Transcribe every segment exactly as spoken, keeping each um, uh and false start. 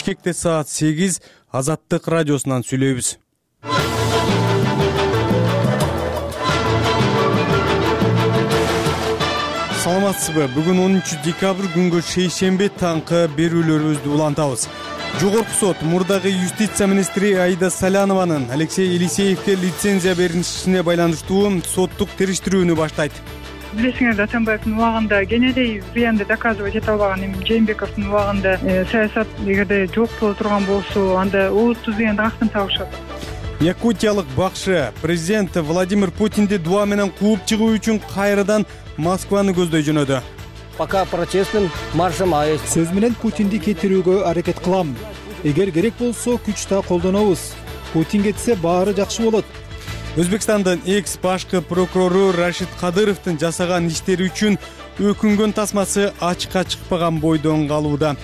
Бишкекте саат сегиз, Азаттык радиосунан сүйлөйбүз. Саламатсызбы? Бүгүн онунчу декабрь күнгө шейшембе таңкы берүүлөрүбүздү улантабыз. Жогорку сот мурдагы юстиция министри Аида Салянованын Алексей Елисеевге лицензия беришине байланыштуу соттук териштирүүнү баштайт. Билесиңер, Атамбаевдин убагында кенедей зыянды доказывать эте албаган, эми Жээнбековдун убагында саясат эгерде жок боло турган болсо, анда олуттуу зыянды кантип табышат? Якутиялык бакшы президент Владимир Путинди дуа менен кууп чыгуу үчүн кайрадан Москваны көздөй жөнөдү. Пока протестным маршем АЭС. Сөз менен Путинди кетирүүгө аракет кылам. Эгер керек болсо күч да колдонобуз. Путин кетсе баары жакшы болот. Өзбекстандын экс башкы прокурору Рашид Кадыровдун жасаган иштери үчүн өкүнгөн тасмасы ачыкка чыкпаган бойдон калууда.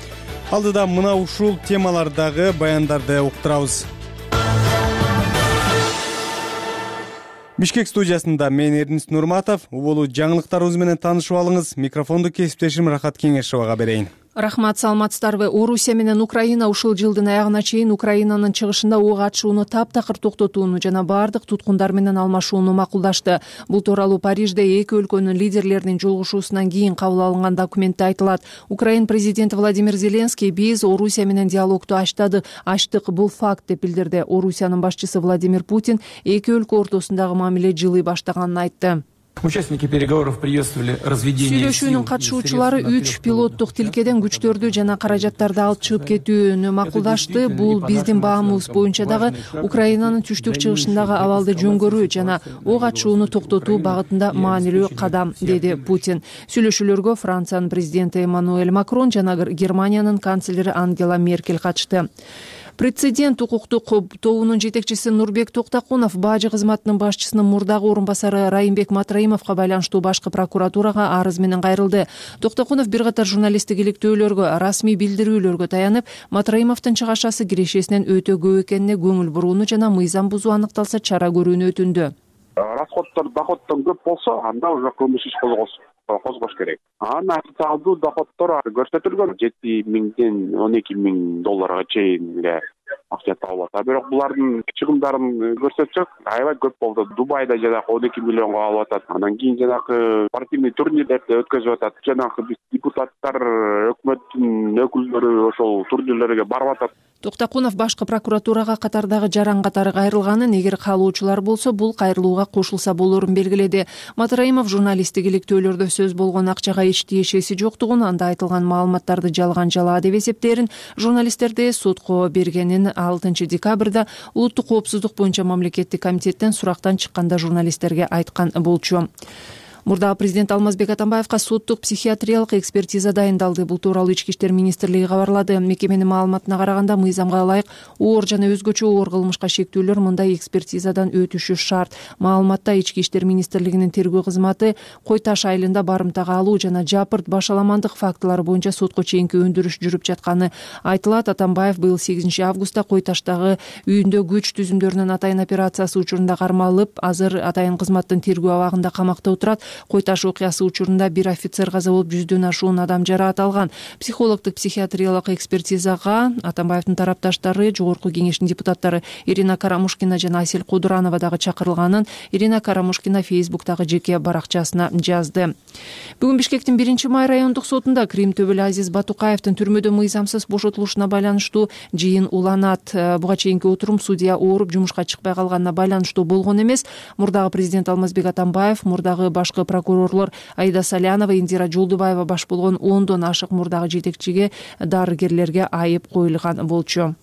Алдыда мына ушул темалардагы баяндарды уктурабыз. Бишкек студиясында мен Эрдинис Нурматов. Убулу жаңылыктарыбыз менен таанышып алыңыз. Микрофонду кесиптешим Рахат Кеңешовага берейин. Рахмат, саламатсыздарбы? Орусия менен Украина ушул жылдын аягына чейин Украинанын чыгышында ок атышууну таптакыр токтотууну жана баардык туткундар менен алмашууну макулдашты. Бул тууралуу Парижде эки өлкөнүн лидерлеринин жолугушуусунан кийин кабыл алынган документте айтылат. Украин президенти Владимир Зеленский биз Орусия менен диалогду ачтык, ачтык бул факт деп билдирди. Орусиянын башчысы Владимир Путин эки өлкө ортосундагы мамиле жылый баштаганын айтты. Участники переговоров приветствовали разведение. Сүйлөшүүнүн катышуучулары үч пилоттук тилкеден күчтөрдү жана каражаттарды алып чыгып кетүүнү макулдашты. Бул биздин баамыбыз боюнча дагы Украинанын түштүк чыгышындагы абалды жөнгөрүү жана ок атышууну токтотуу багытында маанилүү кадам, деди Путин. Сүйлөшүүлөргө Франциянын президенти Эммануэль Макрон жана Германиянын канцлери Ангела Меркель катышты. Прецедент укуктук тобунун жетекчиси Нурбек Токтакунов бажы кызматынын башчысынын мурдагы орун басары Райымбек Матраимовго байланыштуу башкы прокуратурага арыз менен кайрылды. Токтакунов бир катар журналисттик иликтөөлөргө, расмий билдирүүлөргө таянып, Матраимовдун чыгашасы кирешесинен өтө көп экенине көңүл бурууну жана мыйзам бузуу аныкталса чара көрүүнү өтүндү. Расходдор доходдон көп болсо, анда уже кылмыш иш козгош керек. Анан официалдуу доходдор көрсөтүлгөн жети миңден он эки миң долларга чейин эле акча табылат. А бирок булардын чыгымдарын көрсөтсөк, аябай көп болду. Дубайда жанагы он эки миллионго алып атат. Андан кийин жанагы спортивный турнирлерди өткөзүп атат. Жанагы биз депутаттар, өкмөттүн өкүлдөрү ошол турнирлерге барып атат. Токтакунов башкы прокуратурага катардагы жаран катары кайрылганын, эгер каалоочулар болсо бул кайрылууга кошулса болорун белгиледи. Матраимов журналисттик иликтөөлөрдө сөз болгон акчага эч тиешеси жоктугун, анда айтылган маалыматтарды жалган жалаа деп эсептерин, журналисттерди сотко бергенин алтынчы декабрда улуттук коопсуздук боюнча мамлекеттик комитеттен сурактан чыкканда журналисттерге айткан болчу. Мурдагы президент Алмазбек Атамбаевга соттук психиатриялык экспертиза дайындалды. Бул тууралуу Ички иштер министрлиги кабарлады. Мекеменин маалыматына караганда, мыйзамга ылайык оор жана өзгөчө оор кылмышка шектүүлөр мындай экспертизадан өтүшү шарт. Маалыматта Ички иштер министрлигинин тергөө кызматы Кой Таш айылында барымтага алуу жана жапырт башаламандык фактылары боюнча сотко чейинки өндүрүш жүрүп жатканы айтылат. Атамбаев быйыл сегизинчи августта Кой Таштагы үйүндө күч түзүмдөрүнүн атайын операциясы учурунда кармалып, азыр атайын кызматтын тергөө абагында камакта отурат. Кой Таш окуясы учурунда бир офицер каза болуп, жүздөн ашуун адам жараат алган. Психологдук психиатриялык экспертизага Атамбаевдин тарапташтары, жогорку кеңештин депутаттары Ирина Карамушкина жана Асель Кудуранова дагы чакырылганын Ирина Карамушкина Фейсбуктагы жеке баракчасына жазды. Бүгүн Бишкектин биринчи май райондук сотунда Крим төбөлү Азиз Батукаевдин түрмөдө мыйзамсыз бошотулушуна байланыштуу жыйын уланат. Буга чейинки отурум судья ооруп жумушка чыкпай калганына байланыштуу болгон эмес. Мурдагы президент Алмазбек Атамбаев, мурдагы башкы прокурорлор Аида Салянова, Индира Жолдубаева баш болгон ондон ашык мурдагы жетекчиге, дарыгерлерге айып коюлган болчу.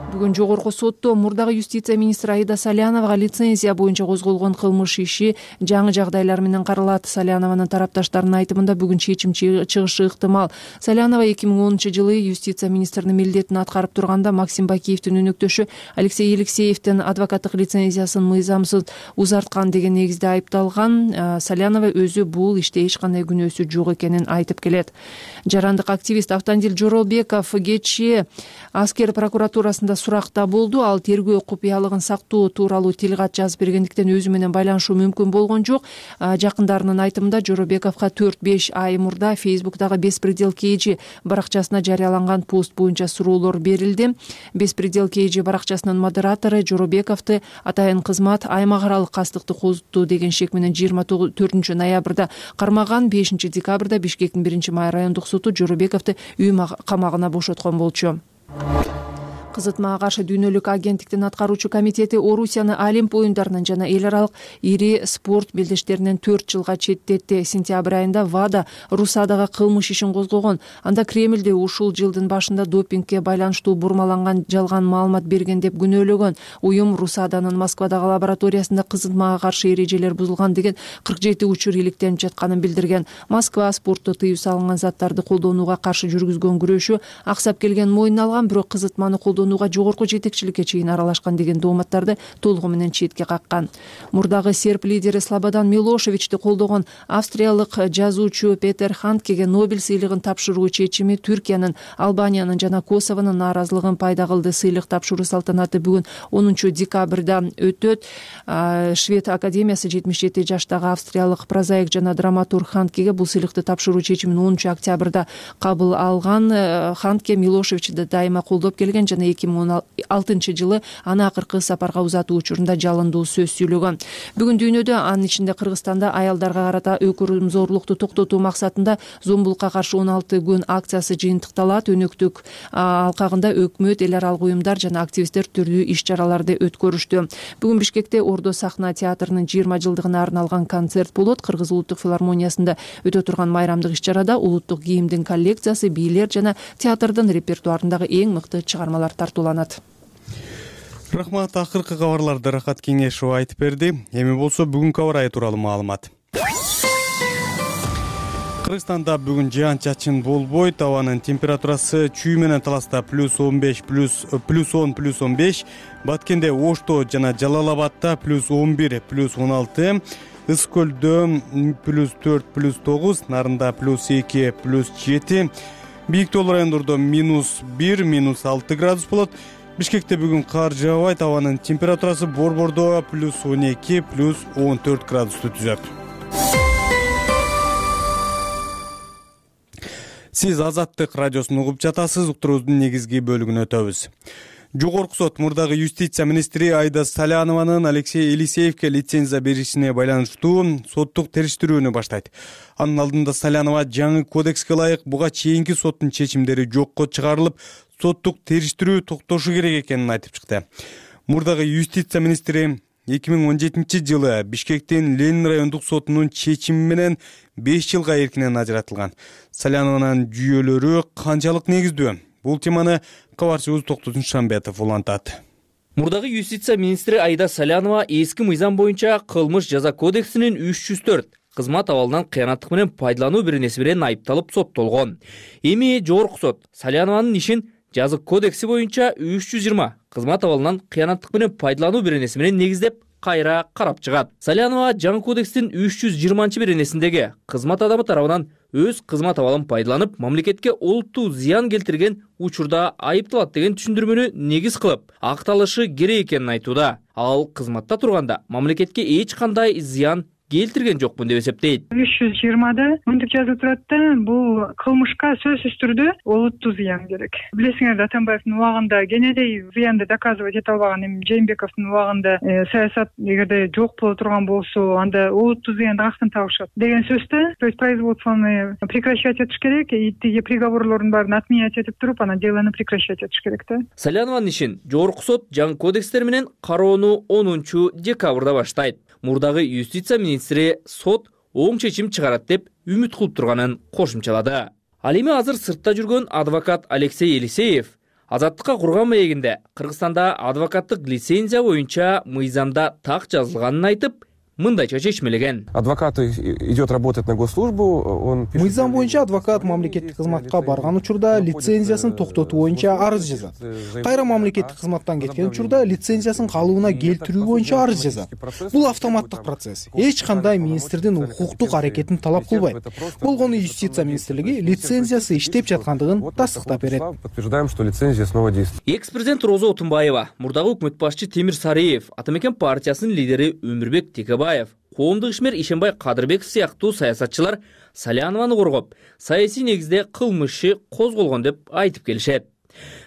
Бүгүн жогорку сотто мурдагы юстиция министри Аида Саляновага лицензия боюнча козголгон кылмыш иши жаңы жагдайлар менен каралат. Салянованын тарапташтарынын айтымында бүгүн чечим чыгышы ыктымал. Салянова эки миң онунчу жылы юстиция министринин милдетин аткарып турганда Максим Бакиевдин өнөктөшү Алексей Елисеевдин адвокаттык лицензиясын мыйзамсыз узарткан деген негизде айыпталган. Салянова өзү бул иште эч кандай күнөөсү жок экенин айтып келет. Жарандык активист Автандил Жоролбеков кечээ аскер прокуратурасында суракта болду. Ал тергөө купуялыгын сактоо тууралуу тил кат жазып бергендиктен өзү менен байланышуу мүмкүн болгон жок. Жакындарынын айтымында Жоробековго төрт беш ай мурда Фейсбуктагы Беспредел Кейджи баракчасына жарыяланган пост боюнча суроолор берилди. Беспредел Кейджи баракчасынын модератору Жоробековду атайын кызмат аймак аралык кастыкты козуттуу деген шек менен жыйырма төртүнчү ноябрда кармаган. Бешинчи декабрда Бишкектин биринчи май райондук соту Жоробековду үй камагына бошоткон болчу. Кызытмага каршы дүйнөлүк агенттиктин аткаруучу комитети Орусияны Олимп оюндарынан жана эл аралык ири спорт белдештеринен төрт жылга четтетти. Сентябрь айында ВАДА Русадага кылмыш ишин козгогон. Анда Кремлде ушул жылдын башында допингге байланыштуу бурмаланган жалган маалымат берген деп күнөөлөгөн. Уюм Русаданын Москвадагы лабораториясында кызытмага каршы эрежелер бузулган деген кырк жети учур иликтенип жатканын билдирген. Москва спортто тыюу салынган заттарды колдонууга каршы жүргүзгөн күрөшү аксап келгенин мойнуна алган, бирок кызытманы колдонууга жогорку жетекчиликке чейин аралашкан деген дооматтарды толугу менен четке каккан. Мурдагы серб лидери Слободан Милошевичти колдогон австриялык жазуучу Петер Ханткеге Нобель сыйлыгын тапшыруу чечими Түркиянын, Албаниянын жана Косовонун нааразылыгын пайда кылды. Сыйлык тапшыруу салтанаты бүгүн онунчу декабрда өтөт. Швед академиясы жетимиш жети жаштагы австриялык прозаик жана драматург Ханткеге бул сыйлыкты тапшыруу чечимин онунчу октябрда кабыл алган. Хантке Милошевичти дайыма колдоп келген жана эки миң он алтынчы жылы аны акыркы сапарга узатуу учурунда жалындуу сөз сүйлөгөн. Бүгүн дүйнөдө, анын ичинде Кыргызстанда аялдарга карата өкүрүмзорлукту токтотуу максатында зомбулукка каршы он алты күн акциясы жыйынтыкталат. Өнөктүк алкагында өкмөт, эл аралык уюмдар жана активисттер түрлүү иш-чараларды өткөрүштү. Бүгүн Бишкекте Ордо сахна театрынын жыйырма жылдыгына арналган концерт болот. Кыргыз улуттук филармониясында өтө турган майрамдык иш-чарада улуттук кийимдин коллекциясы, бийлер жана театрдын репертуарындагы эң мыкты чыгармалар тартууланат. Рахмат. Акыркы кабарларды Рахат Кеңешова айтып берди. Эми болсо бүгүнкү аба ырайы тууралуу маалымат. Кыргызстанда бүгүн жаан-чачын болбойт. Абанын температурасы чүй менен таласта плюс он беш, плюс он, плюс он беш, Баткенде, Ошто жана Жалал Абадта плюс он бир, плюс он алты, Ысык көлдө плюс төрт, плюс тогуз, Нарында плюс эки, плюс жети, Бийик Тоол райондордо минус бир, минус алты градус болот. Бишкекте бүгүн кар жаабайт. Абанын температурасы Борбордо плюс он эки, плюс он төрт градусту түзөт. Сиз Азаттык радиосун угуп жатасыз. Уктуруубуздун негизги бөлүгүнө өтөбүз. Жогорку сот мурдагы юстиция министри Айда Салянованын Алексей Елисеевке лицензия беришине байланыштуу соттук териштирүүнү баштайт. Анын алдында Салянова жаңы кодекске ылайык буга чейинки соттун чечимдери жокко чыгарылып, соттук териштирүү токтошу керек экенин айтып чыкты. Мурдагы юстиция министри эки миң он жетинчи жылы Бишкектин Ленин райондук сотунун чечими менен беш жылга эркинен ажыратылган. Салянованын жүйөлөрү канчалык негиздүү? Бул теманы кабарчыбыз Токтосун Шамбетов улантат. Мурдагы юстиция министри Айда Салянова эски мыйзам боюнча кылмыш жаза кодексинин үч жүз төрт кызмат абалынан кыянаттык менен пайдалануу беренеси менен айыпталып соттолгон. Эми жогорку сот Салянованын ишин жазык кодекси боюнча үч жүз жыйырма кызмат абалынан кыянаттык менен пайдалануу беренеси менен негиздеп кайра карап чыгат. Салянова жаңы кодекстин үч жүз жыйырманчы беренесиндеги кызмат адамы тарабынан өз кызмат абалын пайдаланып, мамлекетке олуттуу зыян келтирген учурда айыпталат деген түшүндүрмөнү негиз кылып, акталышы керек экенин айтууда. Ал кызматта турганда мамлекетке эч кандай зыян келтирген жокмун деп эсептейт. үч жүз жыйырмада мынтип жазылып турат да, бул кылмышка сөзсүз түрдө олуттуу зыян керек. Билесиңер, Атамбаевдин убагында кенедей зыянды доказывать эте албаган, эми Жээнбековдун убагында саясат эгерде жок боло турган болсо, анда олуттуу зыянды каяктан табышат деген сөздө, то есть производствоны прекращать этиш керек, и тиги приговорлордун баарын отменять этип туруп, анан делону прекращать этиш керек да. Салянованын ишин жогорку сот жаңы кодекстер менен кароону онунчу декабрда баштайт. Мурдагы юстиция министри сот оң чечим чыгарат деп үмүт кылып турганын кошумчалады. Ал эми азыр сыртта жүргөн адвокат Алексей Елисеев Азаттыкка курган маегинде Кыргызстанда адвокаттык лицензия боюнча мыйзамда так жазылганын айтып, мындайча чечмелеген. Адвокат идет работать на госслужбу, он мыйзам боюнча адвокат мамлекеттик кызматка барган учурда лицензиясын токтотуу боюнча арыз жазат. Кайра мамлекеттик кызматтан кеткен учурда лицензиясын калыбына келтирүү боюнча арыз жазат. Бул автоматтык процесс. Эч кандай министрдин укуктук аракетин талап кылбайт. Болгону юстиция министрлиги лицензиясы иштеп жаткандыгын тастыктап берет. Подтверждаем, что лицензия снова действует. Экс-президент Роза Отунбаева, мурдагы өкмөт башчы Темир Сариев, Ата мекен партиясынын лидери Өмүрбек Текебаев, коомдук ишмер Ишенбай Кадырбеков сыяктуу саясатчылар Салянованы коргоп, саясий негизде кылмыш иши козголгон деп айтып келишет.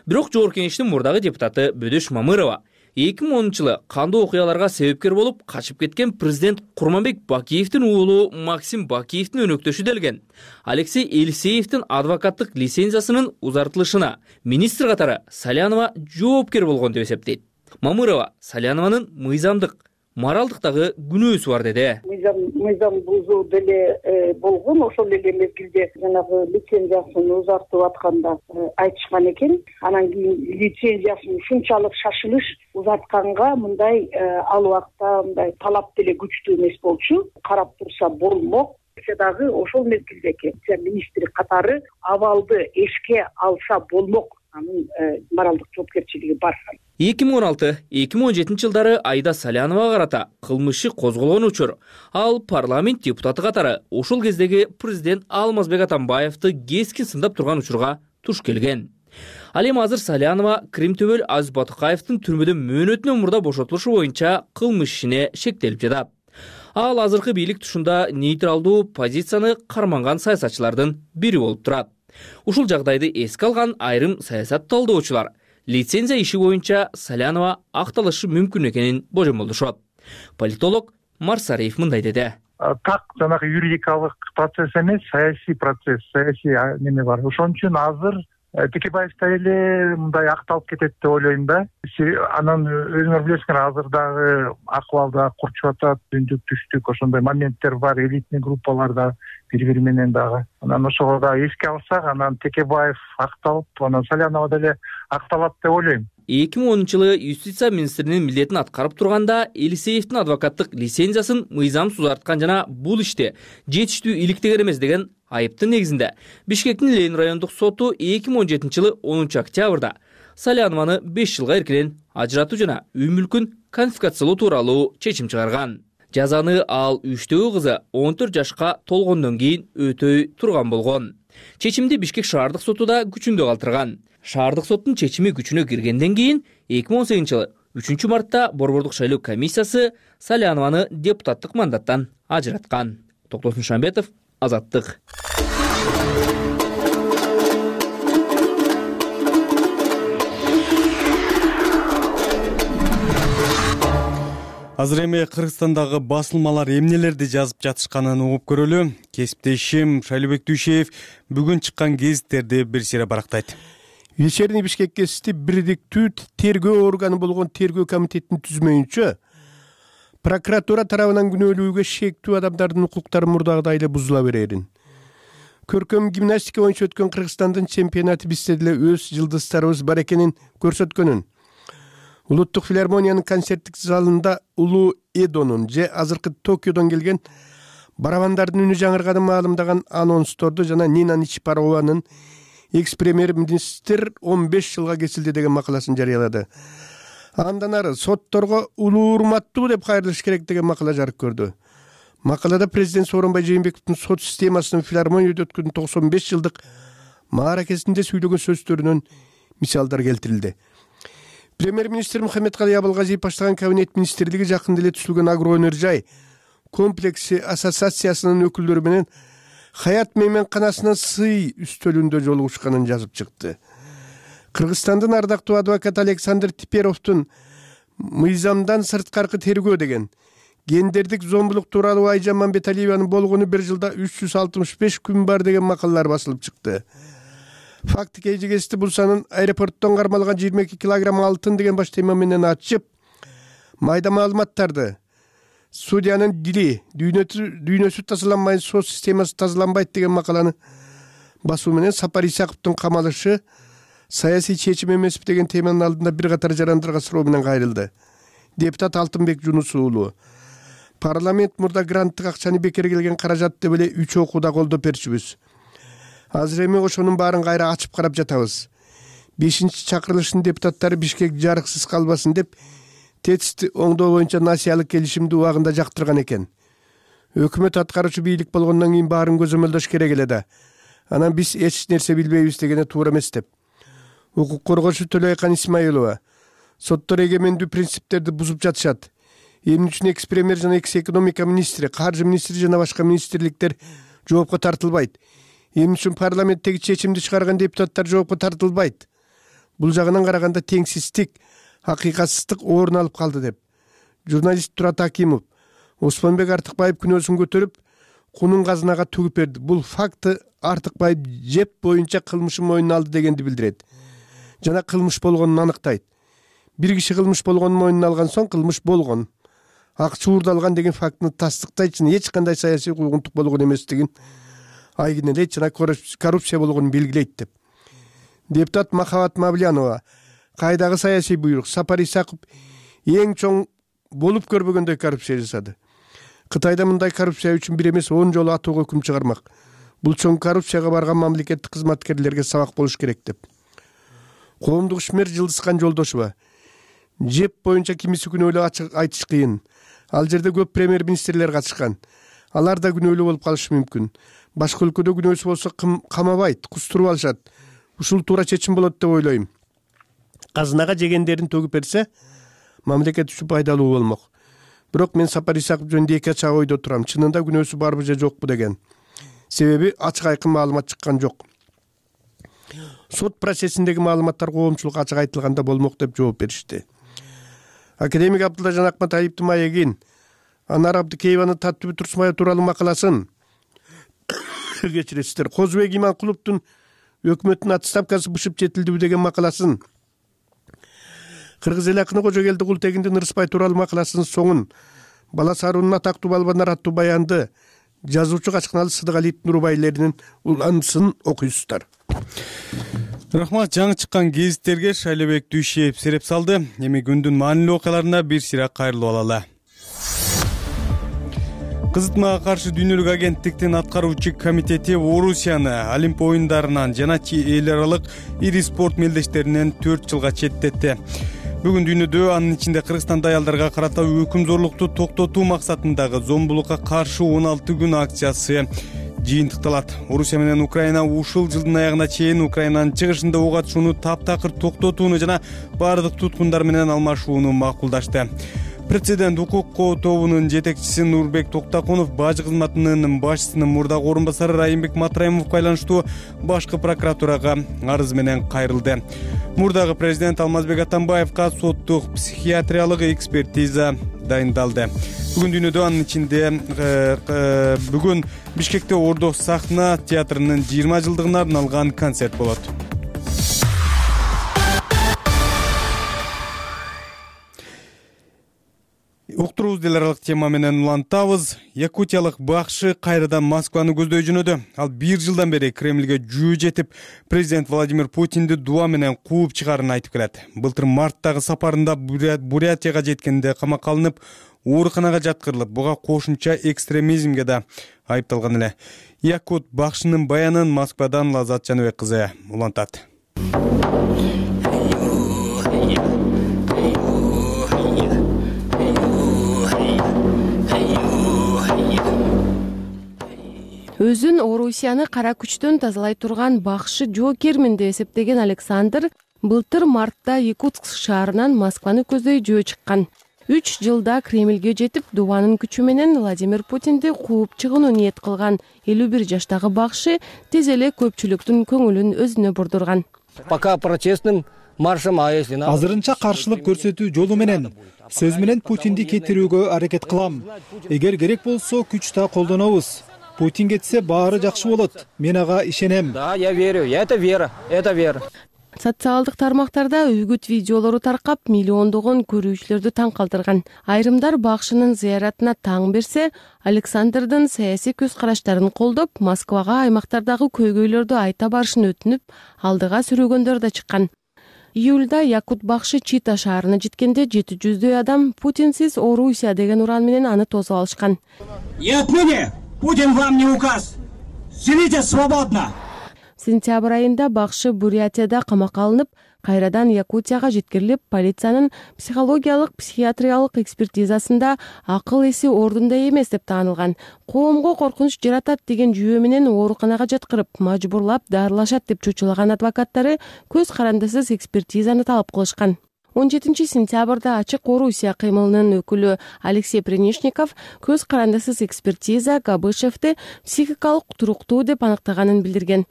Бирок Жогорку Кеңештин мурдагы депутаты Бөдөш Мамырова эки миң онунчу жылы кандуу окуяларга себепкер болуп качып кеткен президент Курманбек Бакиевдин уулу Максим Бакиевдин өнөктөшү делген Алексей Елисеевдин адвокаттык лицензиясынын узартылышына министр катары Салянова жоопкер болгон деп эсептейт. Мамырова Салянованын мыйзамдык, моралдыктагы күнөөсү бар деди. Мыйзам мыйзам бузуу деле болгон, ошол эле мезгилде жанагы лицензиясын узартып атканда айтышкан экен. Анан кийин лицензиясын ушунчалык шашылыш узартканга мындай ал убакта мындай талап деле күчтүү эмес болчу. Карап турса болмок. Дагы ошол мезгилдеги министри катары абалды эшке алса болмок. Анын моралдык жоопкерчилиги бар. эки миң он алты — эки миң он жетинчи жылдары Айда Саляновага карата кылмыш иши козголгон учур. Ал парламент депутаты катары ошол кездеги президент Алмазбек Атамбаевди кескин сындап турган учурга туш келген. Ал эми азыр Салянова Крим төбөл Азиз Батукаевдин түрмөдөн мөөнөтүнөн мурда бошотулушу боюнча кылмыш ишине шектелип жатат. Ал азыркы бийлик тушунда нейтралдуу позицияны карманган саясатчылардын бири болуп турат. Ушул жагдайды эске алган айрым саясат талдоочулар лицензия иши боюнча Салянова акталышы мүмкүн экенин божомолдошот. Политолог Марсариев мындай деди. Так жанагы юридикалык процесс эмес, саясий процесс, саясий неме бар. Ошон үчүн азыр Текебаев эле мындай акталып кетет деп ойлойм да. Анан өзүңөр билесиңер, азыр дагы акыбалда курчуп атат, түндүк түштүк ошондой моменттер бар, элитный группаларда бири-бири менен дагы. Анан ошого да эске алсак, анан Текебаев акталып, анан Салянова деле акталат деп ойлойм. эки миң онунчу жылы юстиция министринин милдетин аткарып турганда Елисеевдин адвокаттык лицензиясын мыйзамсыз узарткан жана бул иште жетиштүү иликтеген эмес деген айыптын негизинде Бишкектин Ленин райондук соту эки миң он жетинчи жылы онунчу октябрда Салянованы беш жылга эркинен ажыратуу жана үй мүлкүн конфискациялоо тууралуу чечим чыгарган. Жазаны ал үчтөгү кызы он төрт жашка толгондон кийин өтөй турган болгон. Чечимди Бишкек шаардык соту да күчүндө калтырган. Шаардык соттун чечими күчүнө киргенден кийин эки миң он сегизинчи жылы үчүнчү мартта Борбордук шайлоо комиссиясы Салянованы депутаттык мандаттан ажыраткан. Токтосун Шамбетов, Азаттык. Азыр эми Кыргызстандагы басылмалар эмнелерди жазып жатышканын угуп көрөлү. Кесиптешим Шайлообек Дүйшеев бүгүн чыккан гезиттерди бир сыйра барактайт. Вечерний Бишкек гезити бирдиктүү тергөө органы болгон тергөө комитетин түзмөйүнчө прокуратура тарабынан күнөөлүүгө шектүү адамдардын укуктары мурдагыдай эле бузула берерин. Көркөм гимнастика боюнча өткөн Кыргызстандын чемпионаты бизде деле өз жылдыздарыбыз бар экенин көрсөткөнүн. Улуттук филармониянын концерттик залында Улуу Эдонун же азыркы Токиодон келген барабандардын үнү жаңырганын маалымдаган анонсторду жана Нина Ничипарованын экс-премьер-министр он беш жылга кесилди деген макаласын жарыялады. Андан ары сотторго улуу урматтуу деп кайрылыш керек деген макала жарык көрдү. Макалада президент Сооронбай Жээнбековдун сот системасынын филармонияда өткөн токсон беш жылдык мааракесинде сүйлөгөн сөздөрүнөн мисалдар келтирилди. Премьер-министр Мухаммедкалый Абылгазиев баштаган кабинет министрлиги жакында эле түзүлгөн агроэнержай комплекси ассоциациясынын өкүлдөрү менен Хаят мейманканасынын сый үстөлүндө жолугушканын жазып чыкты. Кыргызстандын ардактуу адвокат Александр Типеровдун мыйзамдан сырткаркы тергөө деген гендердик зомбулук тууралуу Айжан Мамбеталиеванын болгону бир жылда үч жүз алтымыш беш күн бар деген макалалар басылып чыкты. Факты кежегести бул санын аэропорттон кармалган жыйырма эки килограмм алтын деген баш тема менен ачып, майда маалыматтарды судьянын дили дүйнөсү тазаланбай, сот системасы тазаланбайт деген макаланы басуу менен Сапар Исаковдун камалышы саясий чечим эмеспи деген теманын алдында бир катар жарандарга суроо менен кайрылды. Депутат Алтынбек Жунус уулу. парламент мурда гранттык акчаны бекер келген каражат деп эле үч окууда колдоп берчүбүз. Азыр эми ошонун баарын кайра ачып карап жатабыз. бешинчи чакырылыштын депутаттары Бишкек жарыксыз калбасын деп тетисти оңдоо боюнча насыялык келишимди убагында жактырган экен. Өкмөт аткаруучу бийлик болгондон кийин баарын көзөмөлдөш керек эле да. Анан биз эч нерсе билбейбиз дегене туура эмес деп. Укук коргоочу Төлөйкан Исмаилова: соттор эгемендүү принциптерди бузуп жатышат. Эмне үчүн экс-премьер жана экс-экономика министри, каржы министри жана башка министрликтер жоопко тартылбайт? Эмне үчүн парламенттеги чечимди чыгарган депутаттар жоопко тартылбайт? Бул жагынан караганда теңсиздик, акыйкатсыздык орун алып калды деп. Журналист Турат Акимов: Осмонбек Артыкбаев күнөөсүн көтөрүп, кунун казынага төгүп берди. Бул факты Артыкбаев жеп боюнча кылмышын мойнуна алды дегенди билдирет. Жана кылмыш болгонун аныктайт. Бир киши кылмыш болгонун мойнуна алган соң кылмыш болгон. Акча уурдалган деген фактыны тастыктайт, эч кандай саясий куугунтук болгон эместигин айгинелейт жана коррупция болгонун белгилейт деп. Депутат Махабат Мавлянова: кайдагы саясий буйрук? Сапар Исаков эң чоң болуп көрбөгөндөй коррупция жасады. Кытайда мындай коррупция үчүн бир эмес он жолу атууга өкүм чыгармак. Бул чоң коррупцияга барган мамлекеттик кызматкерлерге сабак болуш керек деп. Коомдук ишмер Жылдызкан Жолдошева: жеп боюнча кимиси күнөөлүү айтыш кыйын. Ал жерде көп премьер-министрлер катышкан. Алар да күнөөлүү болуп калышы мүмкүн. Башка өлкөдө күнөөсү болсо камабайт, кустуруп алышат. Ушул туура чечим болот деп ойлойм. Казынага жегендерин төгүп берсе, мамлекет үчүн пайдалуу болмок. Бирок мен Сапар Исаков жөнүндө эки ачак ойдо турам. Чынында күнөөсү барбы же жокпу деген. Себеби ачык айкын маалымат чыккан жок. Сот процессиндеги маалыматтар коомчулукка ачык айтылганда болмок деп жооп беришти. Академик Абдуллажан Акматалиевдин маегин, Анар Абдыкееванын Таттыбүт Турсунбаев тууралуу макаласын, кечиресиздер, Козубек Иманкуловдун өкмөттүн отставкасы бышып жетилдиби деген макаласын, Кыргыз эл акыны Кожогелди Култегиндин Ырыспай тууралуу макаласынын соңун, Бала Саарунун Атактуу балбандар аттуу баянды, жазуучу Качкыналы Сыдыгалиевдин урубайлеринин уланысын окуйсуздар. Рахмат. Жаңы чыккан гезиттерге Шайлебек Дүйшеев сереп салды. Эми күндүн маанилүү окуяларына бир сыйра кайрылып алалы. Кызытмага каршы дүйнөлүк агенттиктин аткаруучу комитети Орусияны Олимп оюндарынан жана эл аралык ири спорт мелдештеринен төрт жылга четтетти. Бүгүн дүйнөдө, анын ичинде Кыргызстанда аялдарга карата өкүм зорлукту токтотуу максатындагы зомбулукка каршы он алты күн акциясы жыйынтыкталат. Орусия менен Украина ушул жылдын аягына чейин Украинанын чыгышында ок атышууну таптакыр токтотууну жана баардык туткундар менен алмашууну макулдашты. Президент укук тобунун жетекчиси Нурбек Токтакунов бажы кызматынын башчысынын мурдагы орун басары Райымбек Матраимовго байланыштуу башкы прокуратурага арыз менен кайрылды. Мурдагы президент Алмазбек Атамбаевга соттук психиатриялык экспертиза дайындалды. Бүгүн дүйнөдө, анын ичинде бүгүн Бишкекте Ордо сахна театрынын жыйырма жылдыгына арналган концерт болот. Уктуруубуз эл аралык тема менен улантабыз. Якутиялык бакшы кайрадан Москваны көздөй жөнөдү. Ал бир жылдан бери Кремльге жөө жетип, президент Владимир Путинди дуа менен кууп чыгарын айтып келет. Былтыр марттагы сапарында Бурятияга жеткенде камакка алынып, ооруканага жаткырылып, буга кошумча экстремизмге да айыпталган эле. Якут бакшынын баянын Москвадан Лазат Жаныбек кызы улантат. Өзүн Орусияны кара күчтөн тазалай турган бакшы жоокермин деп эсептеген Александр былтыр мартта Якутск шаарынан Москваны көздөй жөө чыккан. үч жылда Кремльге жетип, дубанын күчү менен Владимир Путинди кууп чыгууну ниет кылган элүү бир жаштагы бакшы тез эле көпчүлүктүн көңүлүн өзүнө бурдурган. Пока протестным маршем, а если надо... Азырынча каршылык көрсөтүү жолу менен, сөз менен Путинди кетирүүгө аракет кылам. Эгер керек болсо күч да колдонобуз. Путин кетсе баары жакшы болот. Мен ага ишенем. Да, я верю. Это вера. Это вера. Социалдык тармактарда үгүт видеолору таркап, миллиондогон көрүүчүлөрдү таң калтырган. Айрымдар бакшынын зыяратына таң берсе, Александрдын саясий көз караштарын колдоп, Москвага аймактардагы көйгөйлөрдү айта барышын өтүнүп, алдыга сүрөгөндөр да чыккан. Июлда якут бакшы Чита шаарына жеткенде жети жүздөй адам Путинсиз Орусия деген уран менен аны тосуп алышкан. И отныне Путин вам не указ. Живите свободно. Сентябрь айында бакшы Бурятияда камакка алынып, кайрадан Якутияга жеткирилип, полициянын психологиялык психиатриялык экспертизасында акыл эси ордунда эмес деп таанылган. Коомго коркунуч жаратат деген жүйө менен ооруканага жаткырып, мажбурлап дарылашат деп чочулаган адвокаттары көз карандысыз экспертизаны талап кылышкан. он жетинчи сентябрда Ачык Орусия кыймылынын өкүлү Алексей Пренишников көз карандысыз экспертиза Габышевди психикалык туруктуу деп аныктаганын билдирген.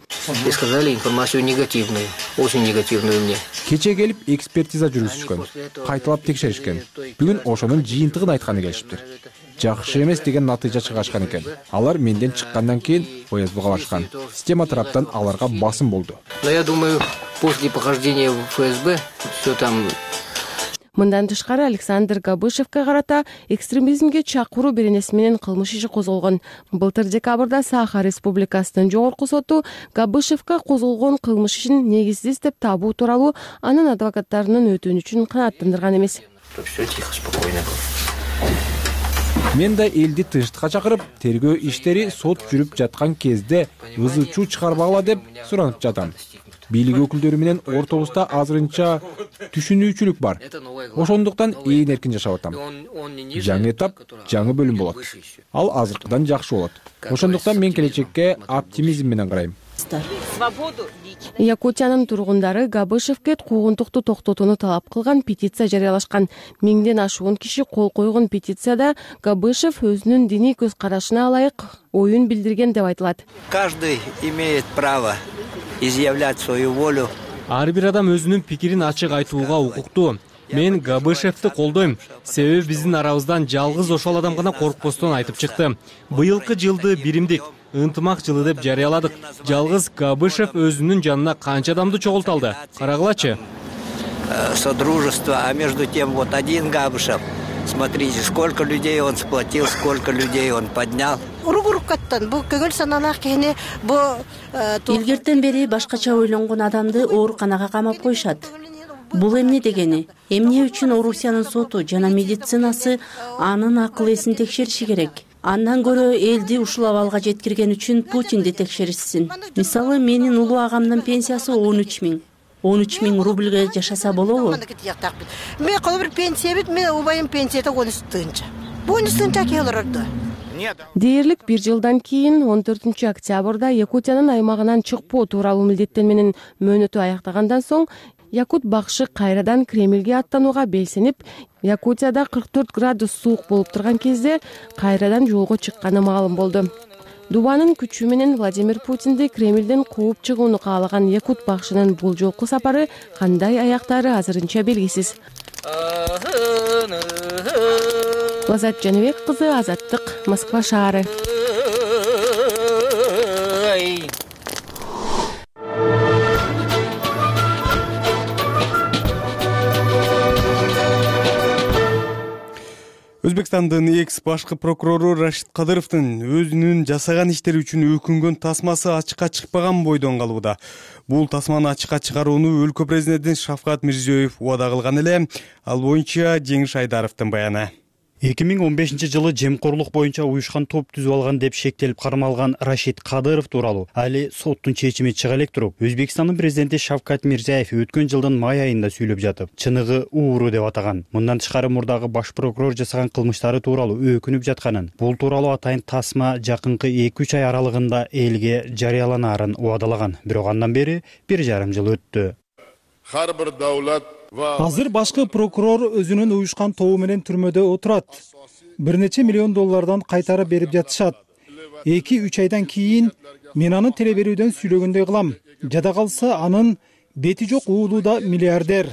И сказали информацию негативную, очень негативную мне. Кече келип экспертиза жүргүзүшкөн, кайталап текшеришкен. Бүгүн ошонун жыйынтыгын айтканы келишиптир. Жакшы эмес деген натыйжа чыгашкан экен. Алар менден чыккандан кийин ФСБга барышкан. Система тараптан аларга басым болду. Но я думаю, после похождения в ФСБ все там. Мындан тышкары Александр Габышевке карата экстремизмге чакыруу беренеси менен кылмыш иши козголгон. Былтыр декабрда Саха Республикасынын жогорку соту Габышевке козголгон кылмыш ишин негизсиз деп табуу тууралуу анын адвокаттарынын өтүнүчүн канааттандырган эмес. Все тихо, спокойно. Мен да элди тынчтыкка чакырып, тергөө иштери сот жүрүп жаткан кезде ызы чуу чыгарбагыла деп суранып жатам. Бийлик өкүлдөрү менен ортобузда азырынча түшүнүүчүлүк бар. Ошондуктан ээн эркин жашап атам. Жаңы этап, жаңы бөлүм болот. Ал азыркыдан жакшы болот. Ошондуктан мен келечекке оптимизм менен карайм. Якутиянын тургундары Габышевке куугунтукту токтотууну талап кылган петиция жарыялашкан. Миңден ашуун киши кол койгон петицияда Габышев өзүнүн диний көз карашына ылайык оюн билдирген деп айтылат. Каждый имеет право изъявлять свою волю. Ар бир адам өзүнүн пикирин ачык айтууга укуктуу. Мен Габышевди колдойм. Себеби биздин арабыздан жалгыз ошол адам гана коркпостон айтып чыкты. Быйылкы жылды биримдик, ынтымак жылы деп жарыяладык. Жалгыз Габышев өзүнүн жанына канча адамды чогулта алды? Карагылачы. Содружество, а между тем вот один Габышев. Смотрите, сколько людей он сплотил, сколько людей он поднял. Илгертен бери башкача ойлонгон адамды ооруканага камап коюшат. Бул эмне дегени? Эмне үчүн Орусиянын соту жана медицинасы анын акыл эсин текшериши керек? Андан көрө элди ушул абалга жеткирген үчүн Путинди текшеришсин. Мисалы, менин улуу агамдын пенсиясы он үч миң. он үч миң рубльге жашаса болобу? Мен коло бир пенсия бит, мен убайым пенсияда он үч тынча. он үч тынча келирди. Дээрлик бир жылдан кийин он төртүнчү октябрда Якутиянын аймагынан чыкпоо тууралуу милдеттер менен мөөнөтү аяктагандан соң Якут бакшы кайрадан Кремльге аттанууга белсенип, Якутияда кырк төрт градус суук болуп турган кезде кайрадан жолго чыкканы маалым болду. Дубанын күчү менен Владимир Путинди Кремльден кууп чыгууну каалаган Якут бакшынын бул жолку сапары кандай аяктаары азырынча белгисиз. Лазат Жаныбек кызы, Азаттык, Москва шаары. Өзбекстандын экс башкы прокурору Рашид Кадыровдун өзүнүн жасаган иштери үчүн өкүнгөн тасмасы ачыкка чыкпаган бойдон калууда. Бул тасманы ачыкка чыгарууну өлкө президенти Шавкат Мирзиёев убада кылган эле. Ал боюнча Жеңиш Айдаровдун баяны. эки миң он бешинчи жылы жемкорлук боюнча уюшкан топ түзүп алган деп шектелип кармалган Рашид Кадыров тууралуу али соттун чечими чыга элек туруп, Өзбекстандын президенти Шавкат Мирзиёев өткөн жылдын май айында сүйлөп жатып, чыныгы ууру деп атаган. Мындан тышкары мурдагы баш прокурор жасаган кылмыштары тууралуу өкүнүп жатканын, бул тууралуу атайын тасма жакынкы эки үч ай аралыгында элге жарыяланаарын убадалаган. Бирок андан бери бир жарым жыл өттү. Ар бир давлат Азыр башкы прокурор өзүнүн уюшкан тобу менен түрмөдө отурат. Бир нече миллион доллардан кайтарып берип жатышат. эки үч айдан кийин мен аны теле берүүдөн сүйлөгөндөй кылам. Жада калса анын бети жок уулу да миллиардер.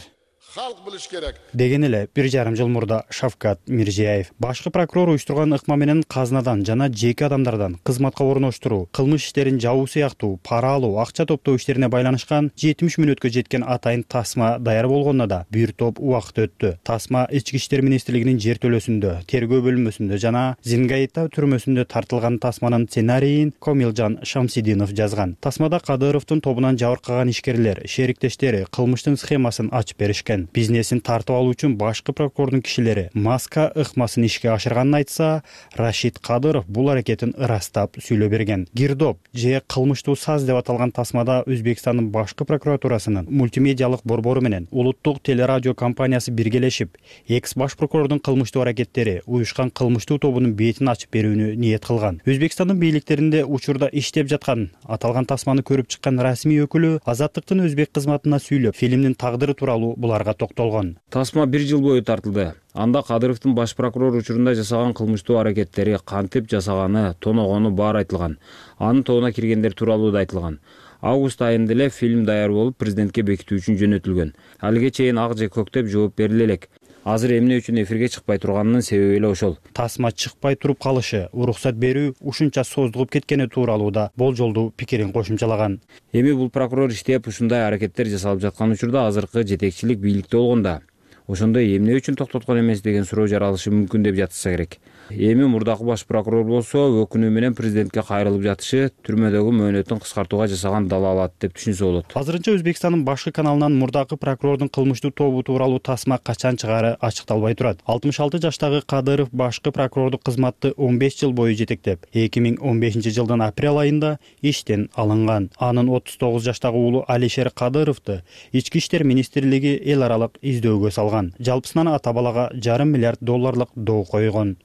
Halk biliş gerek. Деген эле бир жарым жыл мурда Шавкат Мирзиеев башкы прокурор уюштурган ыкма менен казынадан жана жеке адамдардан кызматка орноштуруу, кылмыш иштерин жабуу сыяктуу пара алуу, акча топтоо иштерине байланышкан жетимиш мүнөткө жеткен атайын тасма даяр болгонуна да бир топ убакыт өттү. Тасма Ички иштер министрлигинин жер төлөөсүндө, тергөө бөлүмөсүндө жана Зингаита түрмөсүндө тартылган тасманын сценарийин Комилжан Шамсидинов жазган. Тасмада Кадыровдун тобунан жабыркаган ишкерлер, шериктештери кылмыштын схемасын ачып беришкен. Бизнесин тартып алуу үчүн башкы прокурордун кишилери маска ыкмасын ишке ашырганын айтса, Рашид Кадыров бул аракетин ырастап сүйлөп берген. Гирдоп же кылмыштуу саз деп аталган тасмада Өзбекстандын башкы прокуратурасынын мультимедиалык борбору менен улуттук телерадио компаниясы биргелешип, экс баш прокурордун кылмыштуу аракеттери уюшкан кылмыштуу тобунун бетин ачып берүүнү ниет кылган. Өзбекстандын бийликтеринде учурда иштеп жаткан аталган тасманы көрүп чыккан расмий өкүлү Азаттыктын өзбек кызматына сүйлөп, фильмдин тагдыры тууралуу буларга токтолгон. Тасма бир жыл бою тартылды. Анда Кадыровдун баш прокурор учурунда жасаган кылмыштуу аракеттери, кантип жасаганы, тоногону баары айтылган. Анын тобуна киргендер тууралуу да айтылган. Август айында эле фильм даяр болуп, президентке бекитүү үчүн жөнөтүлгөн. Алыга чейин ак же көк деп жооп бериле элек. Азыр эмне үчүн эфирге чыкпай турганынын себеби эле ошол. Тасма чыкпай туруп калышы, уруксат берүү ушунча создугуп кеткени тууралуу да болжолдуу пикирин кошумчалаган. Эми бул прокурор иштеп ушундай аракеттер жасалып жаткан учурда азыркы жетекчилик бийликте болгонда, ошондо эмне үчүн токтоткон эмес деген суроо жаралышы мүмкүн деп жатышса керек. Эми мурдакы баш прокурор болсо өкүнүү менен президентке кайрылып жатышы түрмөдөгү мөөнөтүн кыскартууга жасаган далаалат деп түшүнсө болот. Азырынча Өзбекстандын башкы каналынан мурдакы прокурордун кылмыштуу тобу тууралуу тасма качан чыгары ачыкталбай турат. алтымыш алты жаштагы Кадыров башкы прокурордук кызматты он беш жыл бою жетектеп, эки миң он бешинчи жылдын апрель айында иштен алынган. Анын отуз тогуз жаштагы уулу Алишер Кадыровду Ички иштер министрлиги эл аралык издөөгө салган. Жалпысынан ата балага жарым миллиард долларлык доо койгон.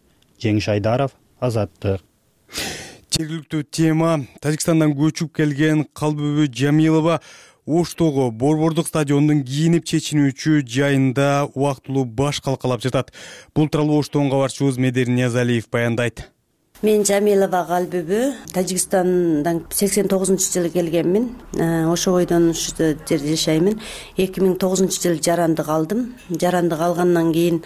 Жеңиш Айдаров, Азаттык. Жергиликтүү тема. Тажикстандан көчүп келген Калбүбү Жамилова Оштогу борбордук стадиондун кийинип чечинүүчү жайында убактылуу баш калкалап жатат. Бул тууралуу Оштон кабарчыбыз Медер Ниязалиев баяндайт. Мен Жамилова Калбүбү, Тажикстандан сексен тогузунчу жылы келгенмин. Ошо бойдон ушу жерде жашаймын. эки миң тогузунчу жылы жарандык алдым. Жарандык алгандан кийин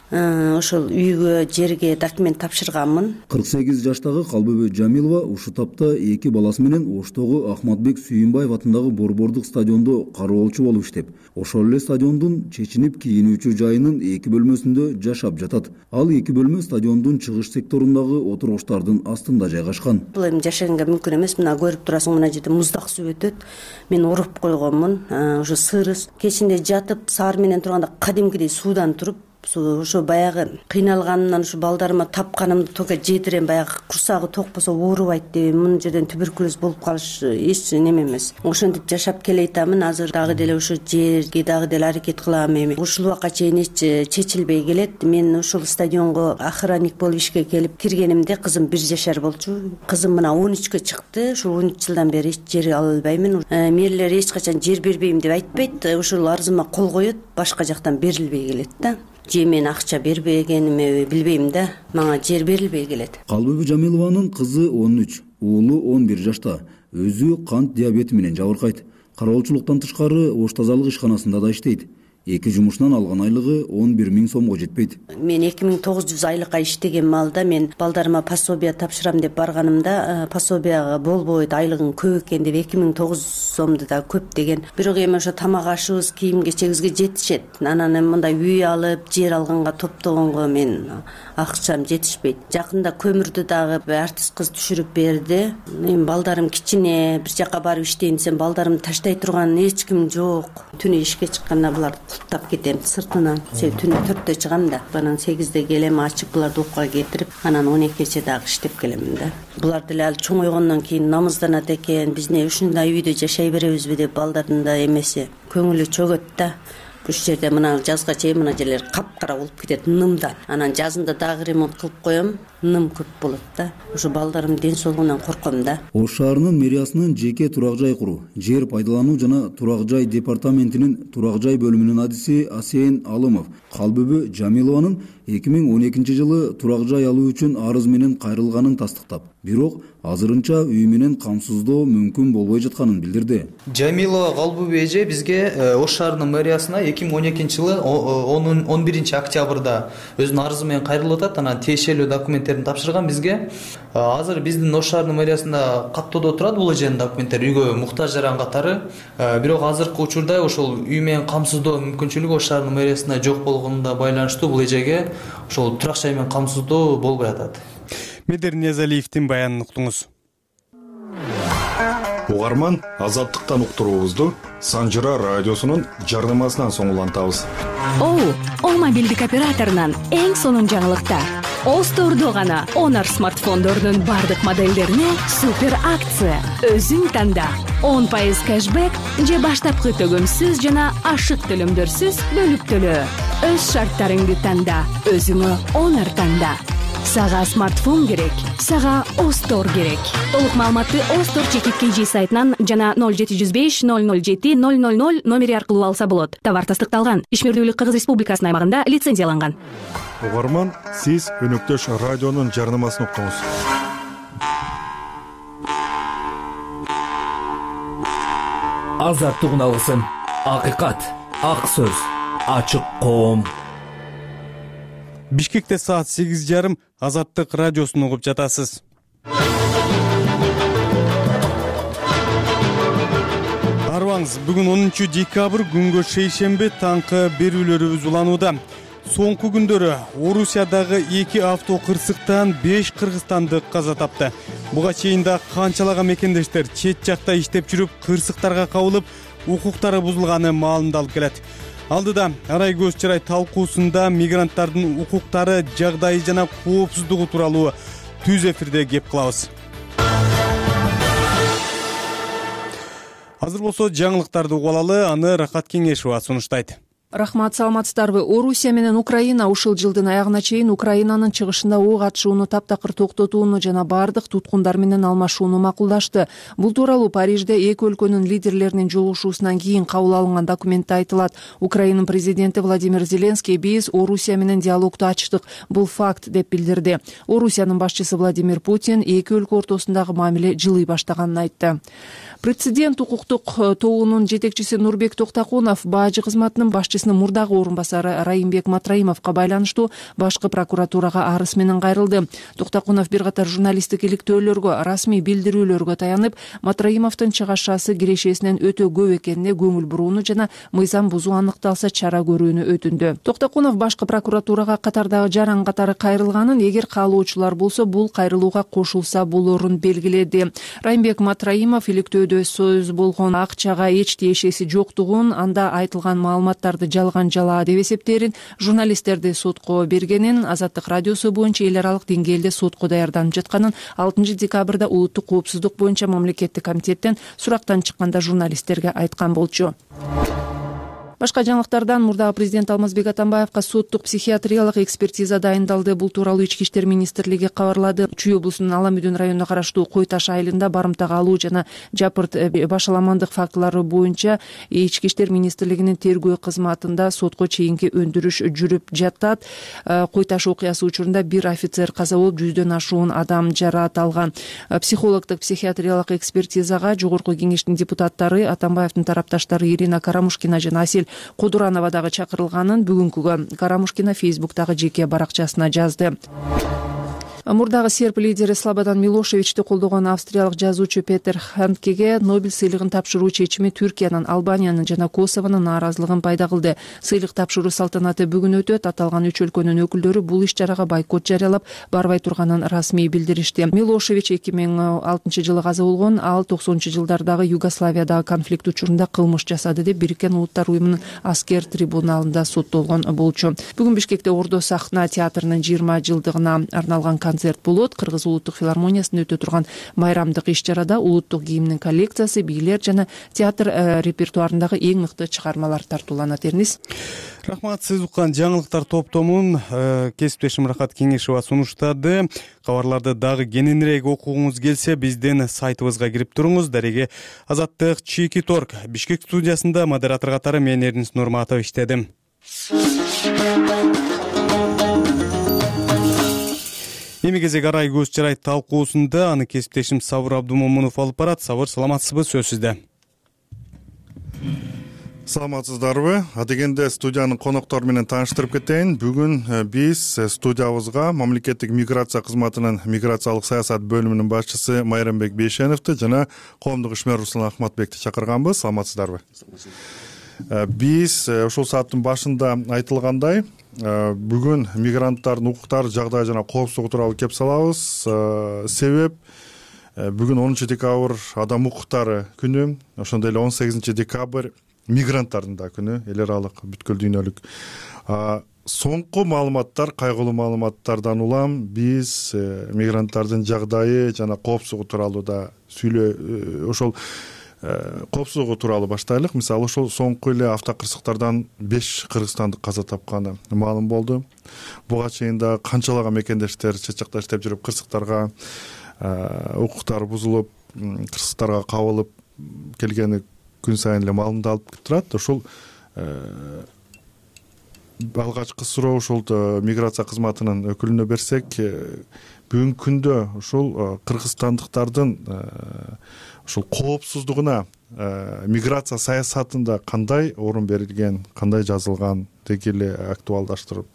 ошол үйгө, жерге документ тапшырганмын. кырк сегиз жаштагы Калбүбү Жамилова ушул тапта эки баласы менен Оштогу Ахматбек Сүйүнбаев атындагы борбордук стадиондо кароолчу болуп иштеп, ошол эле стадиондун чечинип кийинүүчү жайынын эки бөлмөсүндө жашап жатат. Ал эки бөлмө стадиондун чыгыш секторундагы отургучтардын астында жайгашкан. Бул эми жашаганга мүмкүн эмес. Мына көрүп турасың, мына жерде муздак суу өтөт. Мен уруп койгонмун. Ошо сырыс. Кечинде жатып, саар менен турганда кадимкидей суудан туруп, ошо баягы кыйналганымдан ушу балдарыма тапканымды только жетирем, баягы курсагы токпосо оорубайт деп, мына жерден туберкулез болуп калыш эч неме эмес. Ошентип жашап келейтамын. Азыр дагы деле ошо жерге дагы деле аракет кылам. Эми ушул убакка чейин эч чечилбей келет. Мен ушул стадионго охранник болуп ишке келип киргенимде кызым бир жашар болчу. Кызым мына он үчкө чыкты. Ушул он үч жылдан бери эч жер ала албаймын. Мэрлер эч качан жер бербейм деп айтпайт. Ушул арызыма кол коет, башка жактан берилбей келет да. Же мен акча бербегениме билбейм да, мага жер берилбей келет. Калбүбү Жамилованын кызы он үч, уулу он бир жашта. Өзү кант диабети менен жабыркайт. Кароолчулуктан тышкары ош тазалык ишканасында да иштейт. Эки жумушунан алган айлыгы он бир миң сомго жетпейт. Мен эки миң тогуз жүз айлыкка иштеген маалда мен балдарыма пособие тапшырам деп барганымда, пособияга болбойт, айлыгың көп экен деп эки миң тогуз сомду да көп деген. Бирок эми ошо тамак ашыбыз, кийим кечегибизге жетишет. Анан эми мындай үй алып, жер алганга, топтогонго мен акчам жетишпейт. Жакында көмүрдү дагы артист кыз түшүрүп берди. Эми балдарым кичине, бир жака барып иштейин десем, балдарымды таштай турган эч ким жок. Түнү ишке чыкканда булар таптап кетем сыртынан. Түнү төрттө чыгам да, анан сегизде келем, ачып буларды окуга кетирип, анан он экиче дагы иштеп келем да. Булар деле ал чоңойгондон кийин намызданат экен, биз эмне ушундай үйдө жашай беребизби деп балдардын да эмеси көңүлү чөгөт да. Ушул жерде мына жазга чейин мына жерлер капкара болуп кетет нымдан. Анан жазында дагы ремонт кылып коем, ным көп болот да. Ошо балдарымдын ден соолугунан корком да. Ош шаарынын мэриясынын жеке турак жай куруу, жер пайдалануу жана турак жай департаментинин турак жай бөлүмүнүн адиси Асен Алымов Калбүбү Жамилованын эки миң он экинчи жылы турак жай алуу үчүн арыз менен кайрылганын тастыктап, бирок азырынча үй менен камсыздоо мүмкүн болбой жатканын билдирди. Жамилова Калбуби эже бизге Ош шаарынын мэриясына эки миң он экинчи жылы он биринчи октябрда өзүнүн арызы менен кайрылып атат. Анан тиешелүү документтерин тапшырган бизге. Азыр биздин Ош шаарынын мэриясында каттоодо турат бул эженин документтери, үйгө муктаж жаран катары. Бирок азыркы учурда ошол үй менен камсыздоо мүмкүнчүлүгү Ош шаарынын мэриясында жок болгонуна байланыштуу бул эжеге ошол турак жай менен камсыздоо болбой атат. Медер Ниязалиевдин баянын уктуңуз. Угарман, Азаттыктан уктуруубузду Санжыра радиосунун жарнамасынан соң улантабыз. Оу, О мобилдик операторунан эң сонун жаңылыктар. Остордо гана Honor смартфондордун бардык модельдерине супер акция. Өзүң танда. он пайыз кэшбэк же баштапкы төгөмсүз жана ашык төлөмдөрсүз бөлүп төлөө. Өз шарттарыңды танда, өзүңө Honor танда. Сага смартфон керек, сага Остор керек. Толук маалыматты Остор чекит кж сайтынан жана ноль жети жүз беш ноль ноль жети ноль ноль ноль номери аркылуу алса болот. Товар тастыкталган, ишмердүүлүк Кыргыз Республикасынын аймагында лицензияланган. Угарман, сиз өнөктөш радионун жарнамасын уктуңуз. Азаттык алгысын, акыйкат, ак сөз, ачык коом. Бишкекте саат сегиз жарым Азаттык радиосун угуп жатасыз. Арыбаңыз, бүгүн онунчу декабрь күнгө шейшемби таңкы берүүлөрүбүз уланууда. Соңку күндөрү Орусиядагы эки авто кырсыктан беш кыргызстандык каза тапты. Буга чейин да канчалаган мекендештер чет жакта иштеп жүрүп кырсыктарга кабылып, укуктары бузулганы маалымдалып келет. Алдыда арай көз чырай талкуусунда мигранттардын укуктары, жагдайы жана коопсуздугу тууралуу түз эфирде кеп кылабыз. Азыр болсо жаңылыктарды угуп алалы, аны Рахат Кеңешова сунуштайт. Рахмат, саламатсыздарбы? Орусия менен Украина ушул жылдын аягына чейин Украинанын чыгышында ок атышууну таптакыр токтотууну жана бардык туткундар менен алмашууну макулдашты. Бул тууралуу Парижде эки өлкөнүн лидерлеринин жолугушуусунан кийин кабыл алынган документте айтылат. Украинанын президенти Владимир Зеленский биз Орусия менен диалогду ачтык. Бул факт деп билдирди. Орусиянын башчысы Владимир Путин эки өлкө ортосундагы мамиле жылый баштаганын айтты. Прецедент укуктук тобунун жетекчиси Нурбек Токтакунов бажы кызматынын башчысынын мурдагы орун басары Райымбек Матраимовго байланыштуу башкы прокуратурага арыз менен кайрылды. Токтакунов бир катар журналисттик иликтөөлөргө, расмий билдирүүлөргө таянып, Матраимовдун чыгашасы кирешесинен өтө көп экенине көңүл бурууну жана мыйзам бузуу аныкталса чара көрүүнү өтүндү. Токтакунов башкы прокуратурага катардагы жаран катары кайрылганын, эгер каалоочулар болсо бул кайрылууга кошулса болорун белгиледи. Райымбек Матраимов иликтөөдө сөз болгон акчага эч тиешеси жоктугун, анда айтылган маалыматтарды жалган жалаа деп эсептээрин, журналисттерди сотко бергенин, Азаттык радиосу боюнча эл аралык деңгээлде сотко даярданып жатканын алтынчы декабрда улуттук коопсуздук боюнча мамлекеттик комитеттен сурактан чыкканда журналисттерге айткан болчу. Башка жаңылыктардан мурдагы президент Алмазбек Атамбаевга соттук психиатриялык экспертиза дайындалды. Бул тууралуу Ички иштер министрлиги кабарлады. Чүй облусунун Аламүдүн районуна караштуу Кой Таш айылында барымтага алуу жана жапырт башаламандык фактылары боюнча Ички иштер министрлигинин тергөө кызматында сотко чейинки өндүрүш жүрүп жатат. Кой Таш окуясы учурунда бир офицер каза болуп, жүздөн ашуун адам жараат алган. Психологдук психиатриялык экспертизага жогорку кеңештин депутаттары, Атамбаевдин тарапташтары Ирина Карамушкина жана Асель Кодуранова дагы чакырылганын бүгүнкүгө Карамушкина Фейсбуктагы жеке баракчасына жазды. Мурдагы серб лидери Слободан Милошевичти колдогон австриялык жазуучу Петер Ханткеге Нобель сыйлыгын тапшыруу чечими Түркиянын, Албаниянын жана Косовонун нааразылыгын пайда кылды. Сыйлык тапшыруу салтанаты бүгүн өтөт. Аталган үч өлкөнүн өкүлдөрү бул иш-чарага бойкот жарыялап, барбай турганын расмий билдиришти. Милошевич эки миң алтынчы жылы каза болгон, ал токсонунчу жылдардагы Югославиядагы конфликт учурунда кылмыш жасады деп Бириккен Улуттар уюмунун аскер трибуналында соттолгон болчу. Бүгүн Бишкекте Ордо сахна театрынын жыйырма жылдыгына арналган концерт болот. Кыргыз улуттук филармониясында өтө турган майрамдык иш-чарада улуттук кийимдин коллекциясы, бийлер жана театр репертуарындагы эң мыкты чыгармалар тартууланат. Эрнис. Рахмат, сиз уккан жаңылыктар топтомун кесиптешим Рахат Кеңешова сунуштады. Кабарларды дагы кененирээк окугуңуз келсе, биздин сайтыбызга кирип туруңуз. Дареге Азаттык Чийки Торг. Бишкек студиясында модератор катары мен Эрнис Нурматов иштедим. эми кезек арай көз жарайт талкуусунда аны кесиптешим Сабыр Абдумомунов алып барат. Сабыр, саламатсызбы? Сөз сизде. Саламатсыздарбы? Адегенде студиянын коноктору менен тааныштырып кетейин. Бүгүн биз студиябызга мамлекеттик миграция кызматынын миграциялык саясат бөлүмүнүн башчысы Майрамбек Бейшеновду жана коомдук ишмер Руслан Ахматбекти чакырганбыз. Саламатсыздарбы? Биз ушул сааттын башында айтылгандай, бүгүн мигранттардын укуктары, жагдайы жана коопсуздугу тууралуу кеп салабыз. Себеп бүгүн онунчу декабрь адам укуктары күнү, ошондой эле он сегизинчи декабрь мигранттардын да күнү, эл аралык бүткүл дүйнөлүк. Соңку маалыматтар, кайгылуу маалыматтардан улам биз мигранттардын жагдайы жана коопсуздугу тууралуу да сүйлөө, ошол коопсуздугу тууралуу баштайлык. Мисалы, ошол соңку эле автокырсыктардан беш кыргызстандык каза тапканы маалым болду. Буга чейин да канчалаган мекендештер чычакта иштеп жүрүп кырсыктарга укуктары бузулуп, кырсыктарга кабылып келгени күн сайын эле маалымдалып турат. Ошол алгачкы суроо ошол миграция кызматынын өкүлүнө берсек, бүгүнкү күндө ушул кыргызстандыктардын ушул коопсуздугуна миграция саясатында кандай орун берилген, кандай жазылган, деги эле актуалдаштырып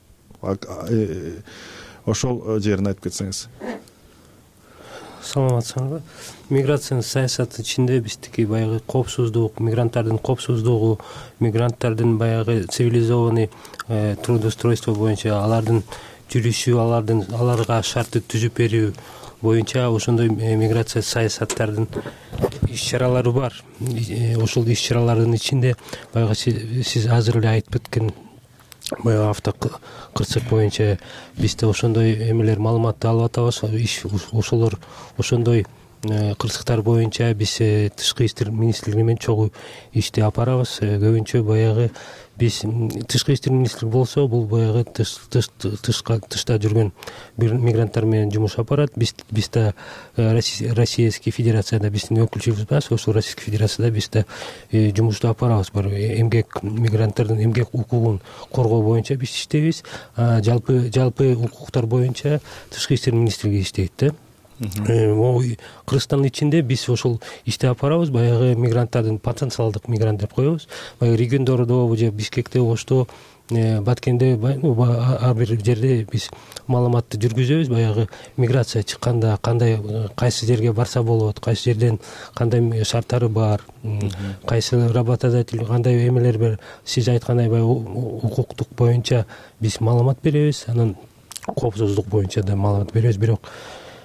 ошол жерин айтып кетсеңиз. Саламатсызбы? Миграциянын саясаты ичинде биздики баягы коопсуздук, мигранттардын коопсуздугу, мигранттардын баягы цивилизованный трудоустройство боюнча алардын жүрүшү, алардын аларга шартты түзүп берүү боюнча ошондой миграция саясаттардын иш-чаралары бар. Ошол иш-чаралардын ичинде баягы сиз азыр эле айтып кеткен баягы автокырсык боюнча бизде ошондой эмелер маалыматты алып атабыз. Ошолор ошондой кырсыктар боюнча биз тышкы иштер министрлиги менен чогуу ишти алып барабыз. Көбүнчө баягы биз тышкы иштер министрлиги болсо, бул баягы тышта жүргөн мигранттар менен жумуш алып барат. Биз бизде Российский Федерацияда биздин өкүлчүлүгүбүз бар. Ошол Российский Федерацияда бизде жумушту алып барабыз. Эмгек мигранттардын эмгек укугун коргоо боюнча биз иштейбиз. Жалпы жалпы укуктар боюнча тышкы иштер министрлиги иштейт да. Кыргызстандын ичинде биз ошол ишти алып барабыз. Баягы мигранттардын потенциалдык мигрант деп коебуз. Баягы региондордо же Бишкекте, Ошто, Баткенде ар бир жерде биз маалыматты жүргүзөбүз. Баягы миграция чыкканда кандай, кайсы жерге барса болот, кайсы жерден кандай шарттары бар, кайсы работодатель кандай эмелер бар. Сиз айткандай баягы укуктук боюнча биз маалымат беребиз. Анан коопсуздук боюнча да маалымат беребиз. Бирок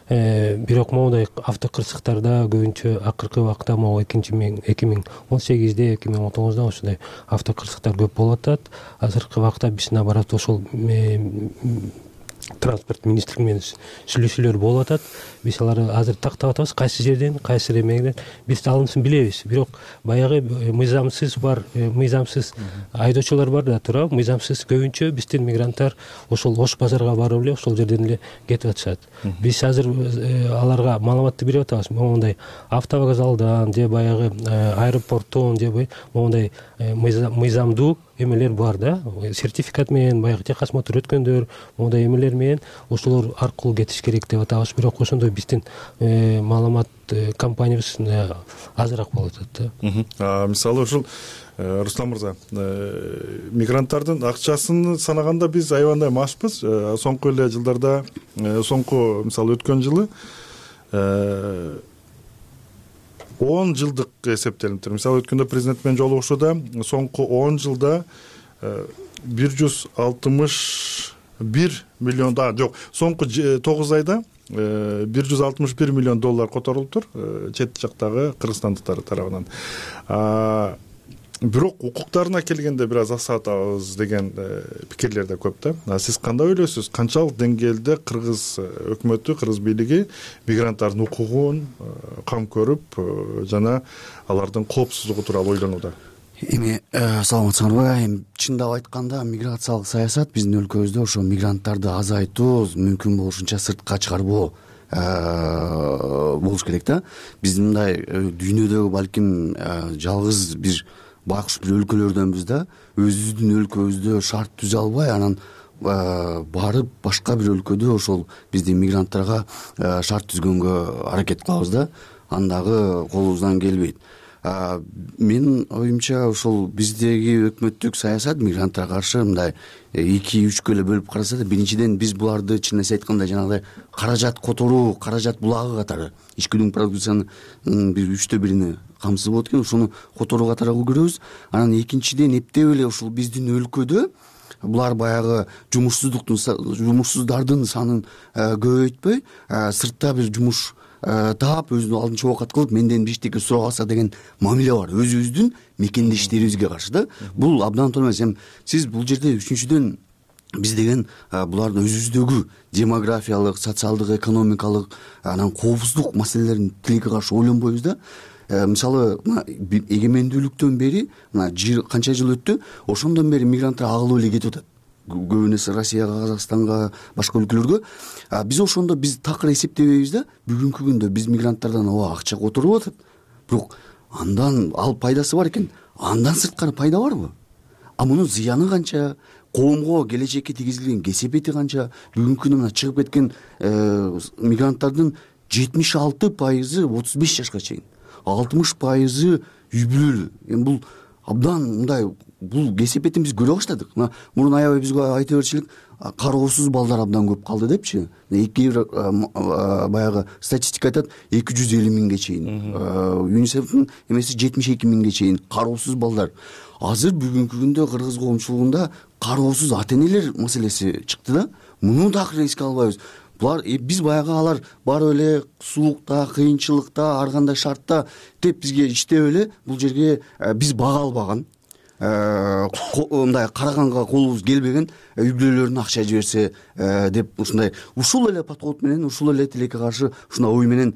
бирок моундай автокырсыктарда көбүнчө акыркы убакта могу эки миң он сегизде эки миң он тогузда ошондой автокырсыктар көп болуп атат. Азыркы убакта биз наоборот ошол транспорт министрлиги менен сүйлөшүүлөр болуп атат. Биз аларды азыр тактап атабыз, кайсы жерден, кайсы эмелер биз алынысын билебиз. Бирок баягы мыйзамсыз бар, мыйзамсыз айдоочулар бар да туурабы? Мыйзамсыз көбүнчө биздин мигранттар ошол Ош базарга барып эле ошол жерден эле кетип атышат. Биз азыр аларга маалыматты берип атабыз. Моундай автовокзалдан же баягы аэропорттон же моундай мыйзамдуу эмелер бар да, сертификат менен баягы техосмотр өткөндөр, моундай эмелер менен ошолор аркылуу кетиш керек деп атабыз. Бирок ошондой биздин маалымат компаниябыз азыраак болуп атат да. Мисалы ушул Руслан мырза, мигранттардын акчасын санаганда биз аябандай машпыз. Соңку эле жылдарда, соңку мисалы өткөн жылы он жылдык эсептелип тур. Мисалы өткөндө президент менен жолугушууда соңку он жылда бир жүз алтымыш бир миллион да жок, соңку тогуз айда бир жүз алтымыш бир миллион доллар которулуптур чет жактагы кыргызстандыктар тарабынан. Бирок укуктарына келгенде бир аз аксатабыз деген пикирлер да көп да. Сиз кандай ойлойсуз? Канчалык деңгээлде кыргыз өкмөтү, кыргыз бийлиги мигранттардын укугун кам көрүп жана алардын коопсуздугу тууралуу ойлонууда? Эми саламатсыңарбы? Эми чындап айтканда миграциялык саясат биздин өлкөбүздө ошо мигранттарды азайтуу, мүмкүн болушунча сыртка чыгарбоо болуш керек да. Биз мындай дүйнөдөгү балким жалгыз бир байкуш бир өлкөлөрдөнбүз да, өзүбүздүн өлкөбүздө шарт түзө албай, анан барып башка бир өлкөдө ошол биздин мигранттарга шарт түзгөнгө аракет кылабыз да, андагы колубуздан келбейт. Менин оюмча ошол биздеги өкмөттүк саясат мигранттарга каршы мындай эки үчкө эле бөлүп караса да, биринчиден биз буларды чын эле айтканда жанагыдай каражат которуу, каражат булагы катары ички продукциянын биз үчтө бирине камсыз болот экен, ошону которуу катары көрөбүз. Анан экинчиден эптеп эле ушул биздин өлкөдө булар баягы жумушсуздуктун жумушсуздардын санын көбөйтпөй, сыртта бир жумуш таап өзүнүн алдынча оокат кылып менден биштеке сурап алса деген мамиле бар өзүбүздүн мекендештерибизге каршы да. Бул абдан туура эмес. Эми сиз бул жерде үчүнчүдөн биз деген булардын өзүбүздөгү демографиялык, социалдык, экономикалык, анан коопсуздук маселелерин тилекке каршы ойлонбойбуз да. Мисалы, эгемендүүлүктөн бери мына канча жыл өттү, ошондон бери мигранттар агылып эле кетип атат. Көбүнесе Россияга, Казакстанга, башка өлкөлөргө. Биз ошондо биз такыр эсептебейбиз да. Бүгүнкү күндө биз мигранттардан ооба акча которуп атат. Бирок андан ал пайдасы бар экен. Андан сырткары пайда барбы? А мунун зыяны канча? Коомго келечекке тийгизилген кесепети канча? Бүгүнкү күндө мына чыгып кеткен мигранттардын жетимиш алты пайызы отуз беш жашка чейин, алтымыш пайызы үй бүлөлүү. Эми бул абдан мындай бул кесепетин биз көрө баштадык. Мына мурун аябай бизге айта берчилик, кароосуз балдар абдан көп калды депчи. Эки баягы статистика айтат, эки жүз элүү миңге чейин. ЮНИСЕФтин эмеси жетимиш эки миңге чейин кароосуз балдар. Азыр бүгүнкү күндө кыргыз коомчулугунда кароосуз ата энелер маселеси чыкты да. Муну такыр эске албайбыз. Булар биз баягы алар барып эле суулукта, кыйынчылыкта, ар кандай шартта деп бизге иштеп эле бул жерге биз бага албаган, мындай караганга колубуз келбеген үй бүлөлөрүнө акча жиберсе деп ушундай ушул эле подход менен, ушул эле тилекке каршы ушундай ой менен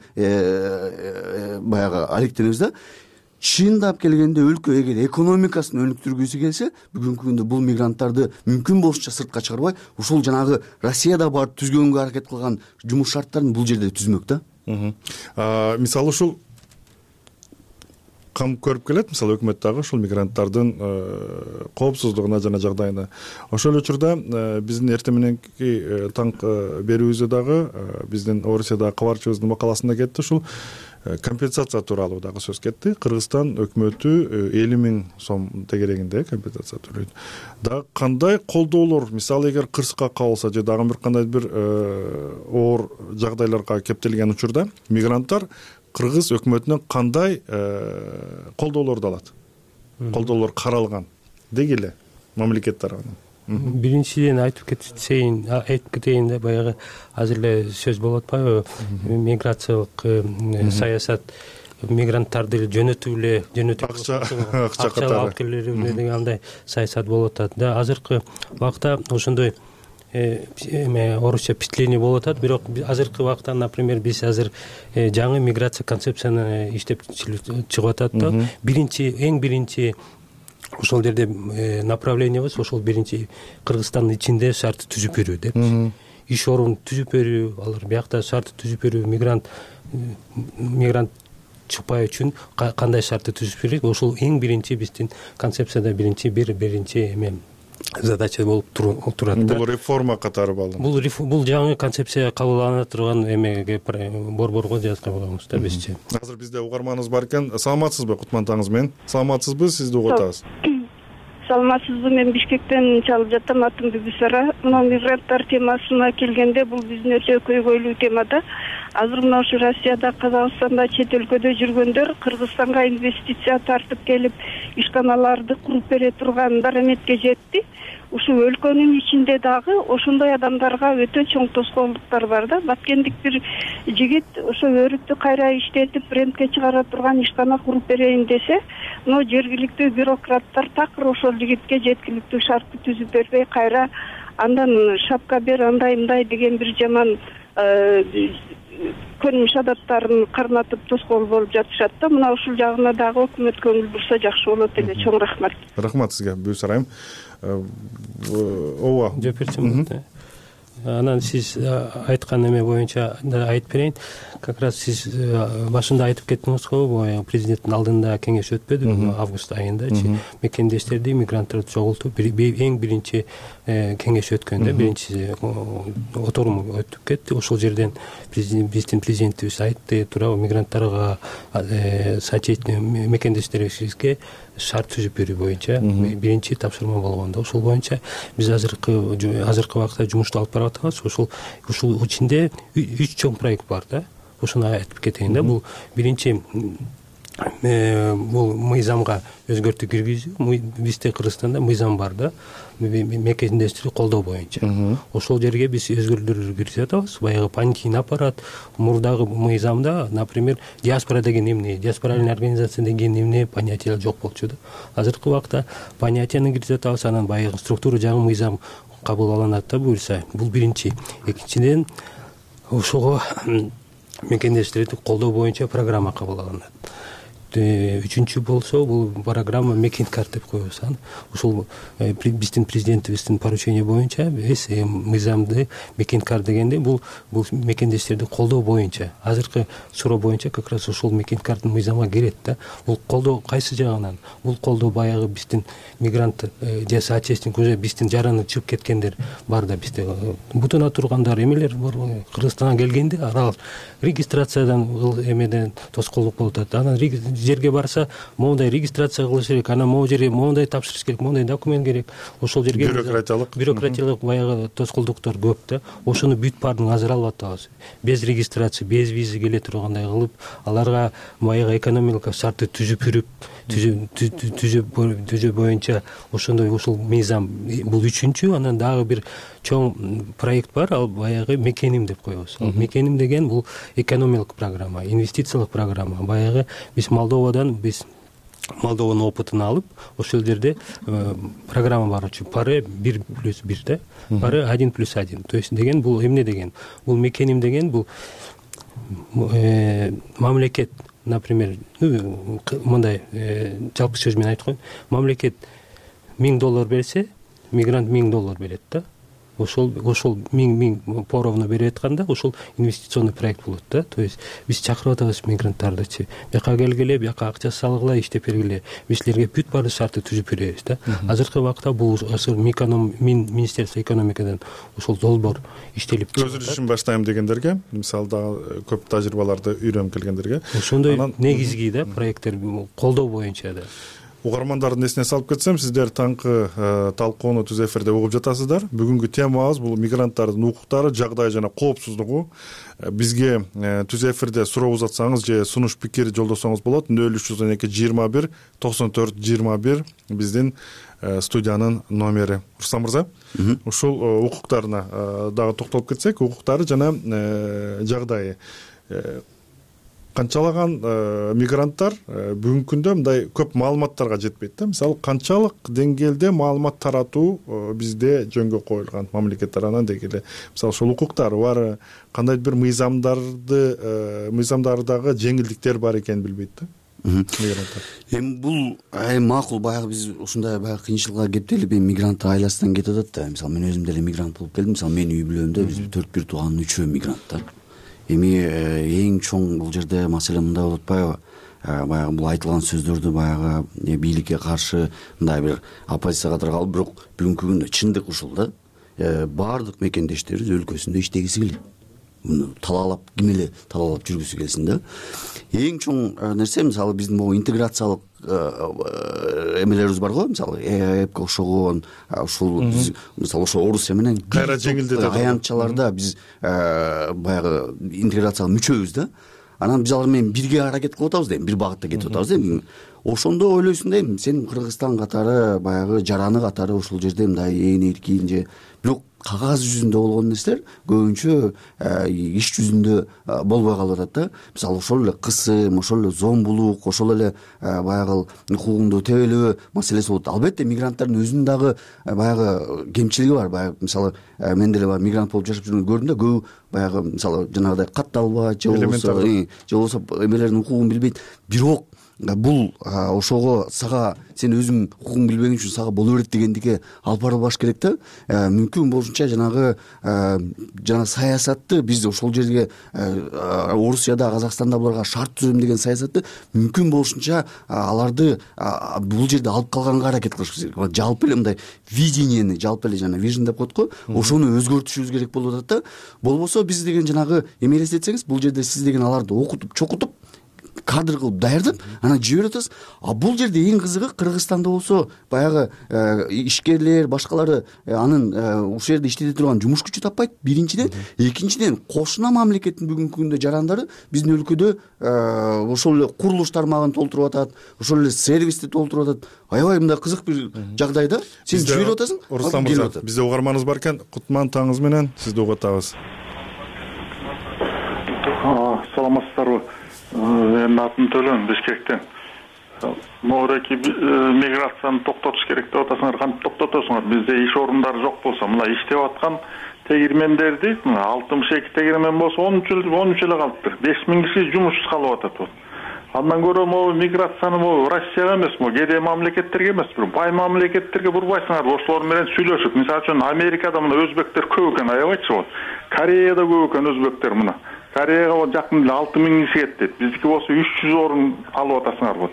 баягы алектенебиз да. Чындап келгенде өлкө эгер экономикасын өнүктүргүсү келсе, бүгүнкү күндө бул мигранттарды мүмкүн болушунча сыртка чыгарбай, ушул жанагы Россияда барып түзгөнгө аракет кылган жумуш шарттарын бул жерде түзмөк да. Мисалы ушул кам көрүп келет, мисалы өкмөт дагы ушул мигранттардын коопсуздугуна жана жагдайына. Ошол учурда биздин эртең мененки танк берүүбүздө дагы биздин Орусиядагы кабарчыбыздын макаласында кетти, ушул компенсация тууралуу дагы сөз кетти. Кыргызстан өкмөтү элүү миң сом тегерегинде компенсация төлөйт. Да кандай колдоолор, мисалы эгер кырсыкка кабылса же дагы бир кандай бир оор жагдайларга кептелген учурда мигранттар кыргыз өкмөтүнөн кандай колдоолорду алат? Колдоолор каралган деги эле мамлекет тарабынан. Биринчиден айтып кетейин, айтып кетейин да, баягы азыр эле сөз болуп атпайбы, миграциялык саясат мигранттарды жөнөтүп эле жөнөтүп акча акча алып келип деген андай саясат болуп атат да. Азыркы убакта ошондой эме орусча впечатление болуп атат, бирок азыркы убакта, например, биз азыр жаңы миграция концепцияны иштеп чыгып атат да. Биринчи, эң биринчи ошол жерде направлениябыз ошол биринчи Кыргызстандын ичинде шартты түзүп берүү деп. Иш орун түзүп берүү, алар биякта шартты түзүп берүү, мигрант мигрант чыкпай үчүн кандай шартты түзүп берет, ошол эң биринчи биздин концепцияда биринчи бир биринчи эме задача болуп турат. Бул реформа катары балды. Бул бул жаңы концепция кабылдана турган эмеге борборго жазганбыз да бизчи. Азыр бизде угарманыбыз бар экен. Саламатсызбы, Кутман таңыз менен? Саламатсызбы, сизди угуп атабыз. Саламатсызбы, мен Бишкектен чалып жатам, атым Бибисара. Мына мигранттар темасына келгенде бул биздин өтө көйгөйлүү тема да. Азыр мына ушу Россияда, Казакстанда, чет өлкөдө жүргөндөр Кыргызстанга инвестиция тартып келип, ишканаларды куруп бере турган дараметке жетти. Ушу өлкөнүн ичинде дагы ошондой адамдарга өтө чоң тоскоолдуктар бар да. Баткендик бир жигит ошо өрүктү кайра иштетип, брендке чыгара турган ишкана куруп берейин десе, но жергиликтүү бюрократтар такыр ошол жигитке жеткиликтүү шартты түзүп бербей, кайра андан шапка бер, андай мындай деген бир жаман көрүнүш адаттарын карматып тоскоол болуп жатышат да. Мына ушул жагына дагы өкмөт көңүл бурса жакшы болот эле. Чоң рахмат. Рахмат сизге, Бүйсарайым. Ооба. Жоп берчүмүн. анан сиз айткан эме боюнча да айтып берейин. Как раз сиз башында айтып кеттиңиз го, баягы президенттин алдында кеңеш өтпөдүбү август айындачы мекендештерди, мигранттарды чогултуп эң биринчи кеңеш өткөндө биринчи отурум өтүп кетти. Ошол жерден биздин президентибиз айтты, туурабы, мигранттарга мекендештерибизге шарт түзүп берүү боюнча биринчи тапшырма болгон да. Ошол боюнча биз азыркы азыркы убакытта жумушту алып барып атабыз. Ошол ушул ичинде үч чоң проект бар да. Ошону айтып кетейин да. Бул биринчи бул мыйзамга өзгөртүү киргизүү. Бизде Кыргызстанда мыйзам бар да, мекендештерди колдоо боюнча. Ошол жерге биз өзгөртүүлөр киргизип атабыз. Баягы понятийный аппарат, мурдагы мыйзамда, например, диаспора деген эмне, диаспоральный организация деген эмне понятие жок болчу да. Азыркы убакта понятияны киргизип атабыз, анан баягы структура жагы мыйзам кабыл алынат да буюрса. Бул биринчи. Экинчиден, ошого мекендештерди колдоо боюнча программа кабыл алынат. Үчүнчү болсо, бул программа мекен карт деп коебуз. Ушул биздин президентибиздин поручение боюнча биз мыйзамды мекен карт дегенде бул бул мекендештерди колдоо боюнча, азыркы суроо боюнча как раз ошол мекен карттын мыйзамга кирет да. Бул колдоо кайсы жагынан? Бул колдоо баягы биздин мигрант же соотечественник, биздин жараны чыгып кеткендер бар да, бизде бутуна тургандар, эмелер бар. Кыргызстанга келгенде алар регистрациядан эмеден тоскоолдук болуп атат. Анан жерге барса, моундай регистрация кылыш керек, анан могу жерге моундай тапшырыш керек, моундай документ керек. Ошол жерге бюрократиялык бюрократиялык баягы тоскоолдуктар көп да. Ошону бүт баарын азыр алып атабыз. Без регистрация, без виза келе тургандай кылып, аларга баягы экономикалык шартты түзүп жүрүп, түзүү боюнча ошондой ушул мыйзам. Бул үчүнчү. Анан дагы бир чоң проект бар, ал баягы мекеним деп коебуз. Ал мекеним деген бул экономикалык программа, инвестициялык программа. Баягы биз Молдовадан биз Молдованын опытын алып, ошол жерде программа бар. Пары бир плюс бир да. Пары один плюс один. То есть деген бул эмне деген? Бул мекеним деген бул мамлекет, например, мындай жалпы сөз менен айтып коеюн. Мамлекет миң доллар берсе, мигрант миң доллар берет да. Ошол ошол миң миң поровну берип атканда ошол инвестиционный проект болот да. То есть биз чакырып атабыз мигранттардычы. Бияка келгиле, бияка акча салгыла, иштеп бергиле. Биз силерге бүт баары шартты түзүп беребиз да. Азыркы убакта бул Министерство экономикадан ошол долбоор иштелип чыгат. Өз ишин баштайм дегендерге, мисалы дагы көп тажрыйбаларды үйрөнүп келгендерге ошондой негизги да проекттер колдоо боюнча да. Угармандардын эсине салып кетсем, сиздер таңкы талкууну түз эфирде угуп жатасыздар. Бүгүнкү темабыз бул мигранттардын укуктары, жагдайы жана коопсуздугу. Бизге түз эфирде суроо узатсаңыз же сунуш пикир жолдосоңуз болот. нөл үч жүз он эки жыйырма бир токсон төрт жыйырма бир биздин студиянын номери. Руслан мырза, ушул укуктарына дагы токтолуп кетсек, укуктары жана жагдайы. Канчалаган мигранттар бүгүнкү күндө мындай көп маалыматтарга жетпейт да. Мисалы, канчалык деңгээлде маалымат таратуу бизде жөнгө коюлган мамлекет тарабынан дегеле. Мисалы, ошол укуктары бар, кандайдыр бир мыйзамдарды, мыйзамдардагы жеңилдиктер бар экенин билбейт да. Эми бул макул, баягы биз ушундай баягы кыйынчылыкка кептелип мигрант айласынан кетип атат да. Мисалы, мен өзүм деле мигрант болуп келдим. Мисалы, менин үй бүлөмдө биз төрт бир тууганын үчөө мигрант да. Эми эң чоң бул жерде маселе мындай болуп атпайбы? Баягы бул айтылган сөздөрдү баягы бийликке каршы мындай бир оппозицияга таркалып, бирок бүгүнкү күндө чындык ушул да. Баардык мекендештерибиз өлкөсүндө иштегиси келет. Муну талаалап, ким эле талаалап жүргүсү келсин да. Эң чоң нерсе, мисалы, биздин могу интеграциялык эмелерибиз бар го, мисалы, эпке окшогон, ушул мисалы ошо Орусия менен кайра жеңилдетет аянтчаларда биз баягы интеграцияга мүчөбүз да. Анан биз алар менен бирге аракет кылып атабыз дейм, бир багытта кетип атабыз дейм. Ошондо ойлойсуң дейм, сен Кыргызстан катары, баягы жараны катары ушул жерде мындай ээн эркин же бирок кагаз жүзүндө болгон нерселер көбүнчө иш жүзүндө болбой калып атат да. Мисалы, ошол эле кысым, ошол эле зомбулук, ошол эле баягы укугуңду тебелөө маселеси болот. Албетте мигранттардын өзүнүн дагы баягы кемчилиги бар. Баягы мисалы, мен деле баягы мигрант болуп жашап жүргөндө көрдүм да, көбү баягы мисалы жанагыдай катталбайт же болбосо же болбосо эмелердин укугун билбейт. Бирок бул ошого сага сен өзүң укугуң билбеген үчүн сага боло берет дегендикке алып барылбаш керек да. Мүмкүн болушунча жанагы жана саясатты биз ошол жерге Орусияда, Казакстанда буларга шарт түзөм деген саясатты мүмкүн болушунча аларды бул жерде алып калганга аракет кылыш керек. Жалпы эле мындай видениени, жалпы эле жана вижн деп коет го, ошону өзгөртүшүбүз керек болуп атат да. Болбосо биз деген жанагы эме элестетсеңиз, бул жерде сиз деген аларды окутуп, чокутуп, кадр кылып даярдап анан жиберип атасыз. А бул жерде эң кызыгы Кыргызстанда болсо баягы ишкерлер, башкалары анын ушул жерде иштете турган жумуш күчү таппайт. Биринчиден, экинчиден кошуна мамлекеттин бүгүнкү күндө жарандары биздин өлкөдө ошол эле курулуш тармагын толтуруп атат, ошол эле сервисти толтуруп атат. Аябай мындай кызык бир жагдайда сен жиберип атасың. Руслан мырза, бизде угарманыбыз бар экен. Кутман таңыңыз менен сизди угатабыз. Саламатсыздарбы? Менин атым Төлөн, Бишкектен. Моореки миграцияны токтотуш керек деп атасыңар, кантип токтотосуңар? Бизде иш орундары жок болсо, мына иштеп аткан тегирмендерди, мына алтымыш эки тегирмен болсо он үч эле калыптыр. беш миң киши жумушсуз калып атат. Андан көрө могу миграцияны могу Россияга эмес, могу кедей мамлекеттерге эмес, бир бай мамлекеттерге бурбайсыңар, ошолор менен сүйлөшүп. Мисалы үчүн Америкада мына өзбектер көп экен, аябайчы. Кореяда көп экен өзбектер мына. Кореяга жакын эле алты миң киши кетти. Биздики болсо үч жүз орун алып атасыңар.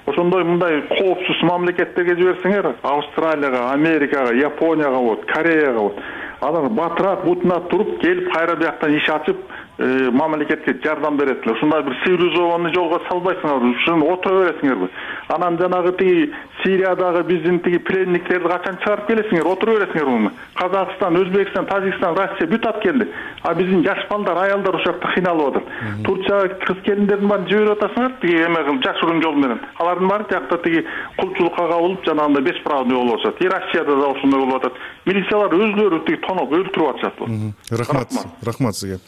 Ошондой мындай коопсуз мамлекеттерге жиберсеңер, Австралияга, Америкага, Японияга болот, Кореяга болот. Алар батырап, бутунап туруп, келип кайра бияктан иш ачып, мамлекетке жардам берет эле. Ушундай бир цивилизованный жолго салбайсыңар, ушуну отура бересиңерби? Анан жанагы тиги Сириядагы биздин тиги пленниктерди качан чыгарып келесиңер, отура бересиңер. Казакстан, Өзбекстан, Тажикстан, Россия бүт ат келди. А биздин жаш балдар, аялдар ошол жакта кыйналып атат. Турцияга кыз келиндердин баарын жиберип атасыңар, тиги эме кылып жашыруун жол менен. Алардын баары жакта тиги кулчулукка кабылып, жанагындай бесправный болуп атат. И Россияда да ошондой болуп атат. Милициялар өзлөрү тиги тоноп өлтүрүп атышат. Рахмат, рахмат сизге.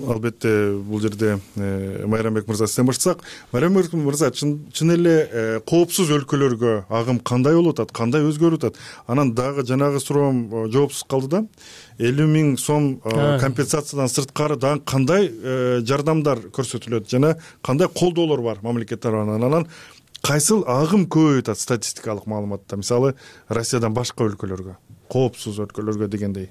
Албетте бул жерде Майрамбек мырза сизден баштасак. Майрамбек мырза, чын эле коопсуз өлкөлөргө агым кандай болуп атат, кандай өзгөрүп атат? Анан дагы жанагы суроом жоопсуз калды да. элүү миң сом компенсациядан сырткары дагы кандай жардамдар көрсөтүлөт жана кандай колдоолор бар мамлекет тарабынан? Анан кайсыл агым көбөйүп атат статистикалык маалыматта? Мисалы, Россиядан башка өлкөлөргө, коопсуз өлкөлөргө дегендей.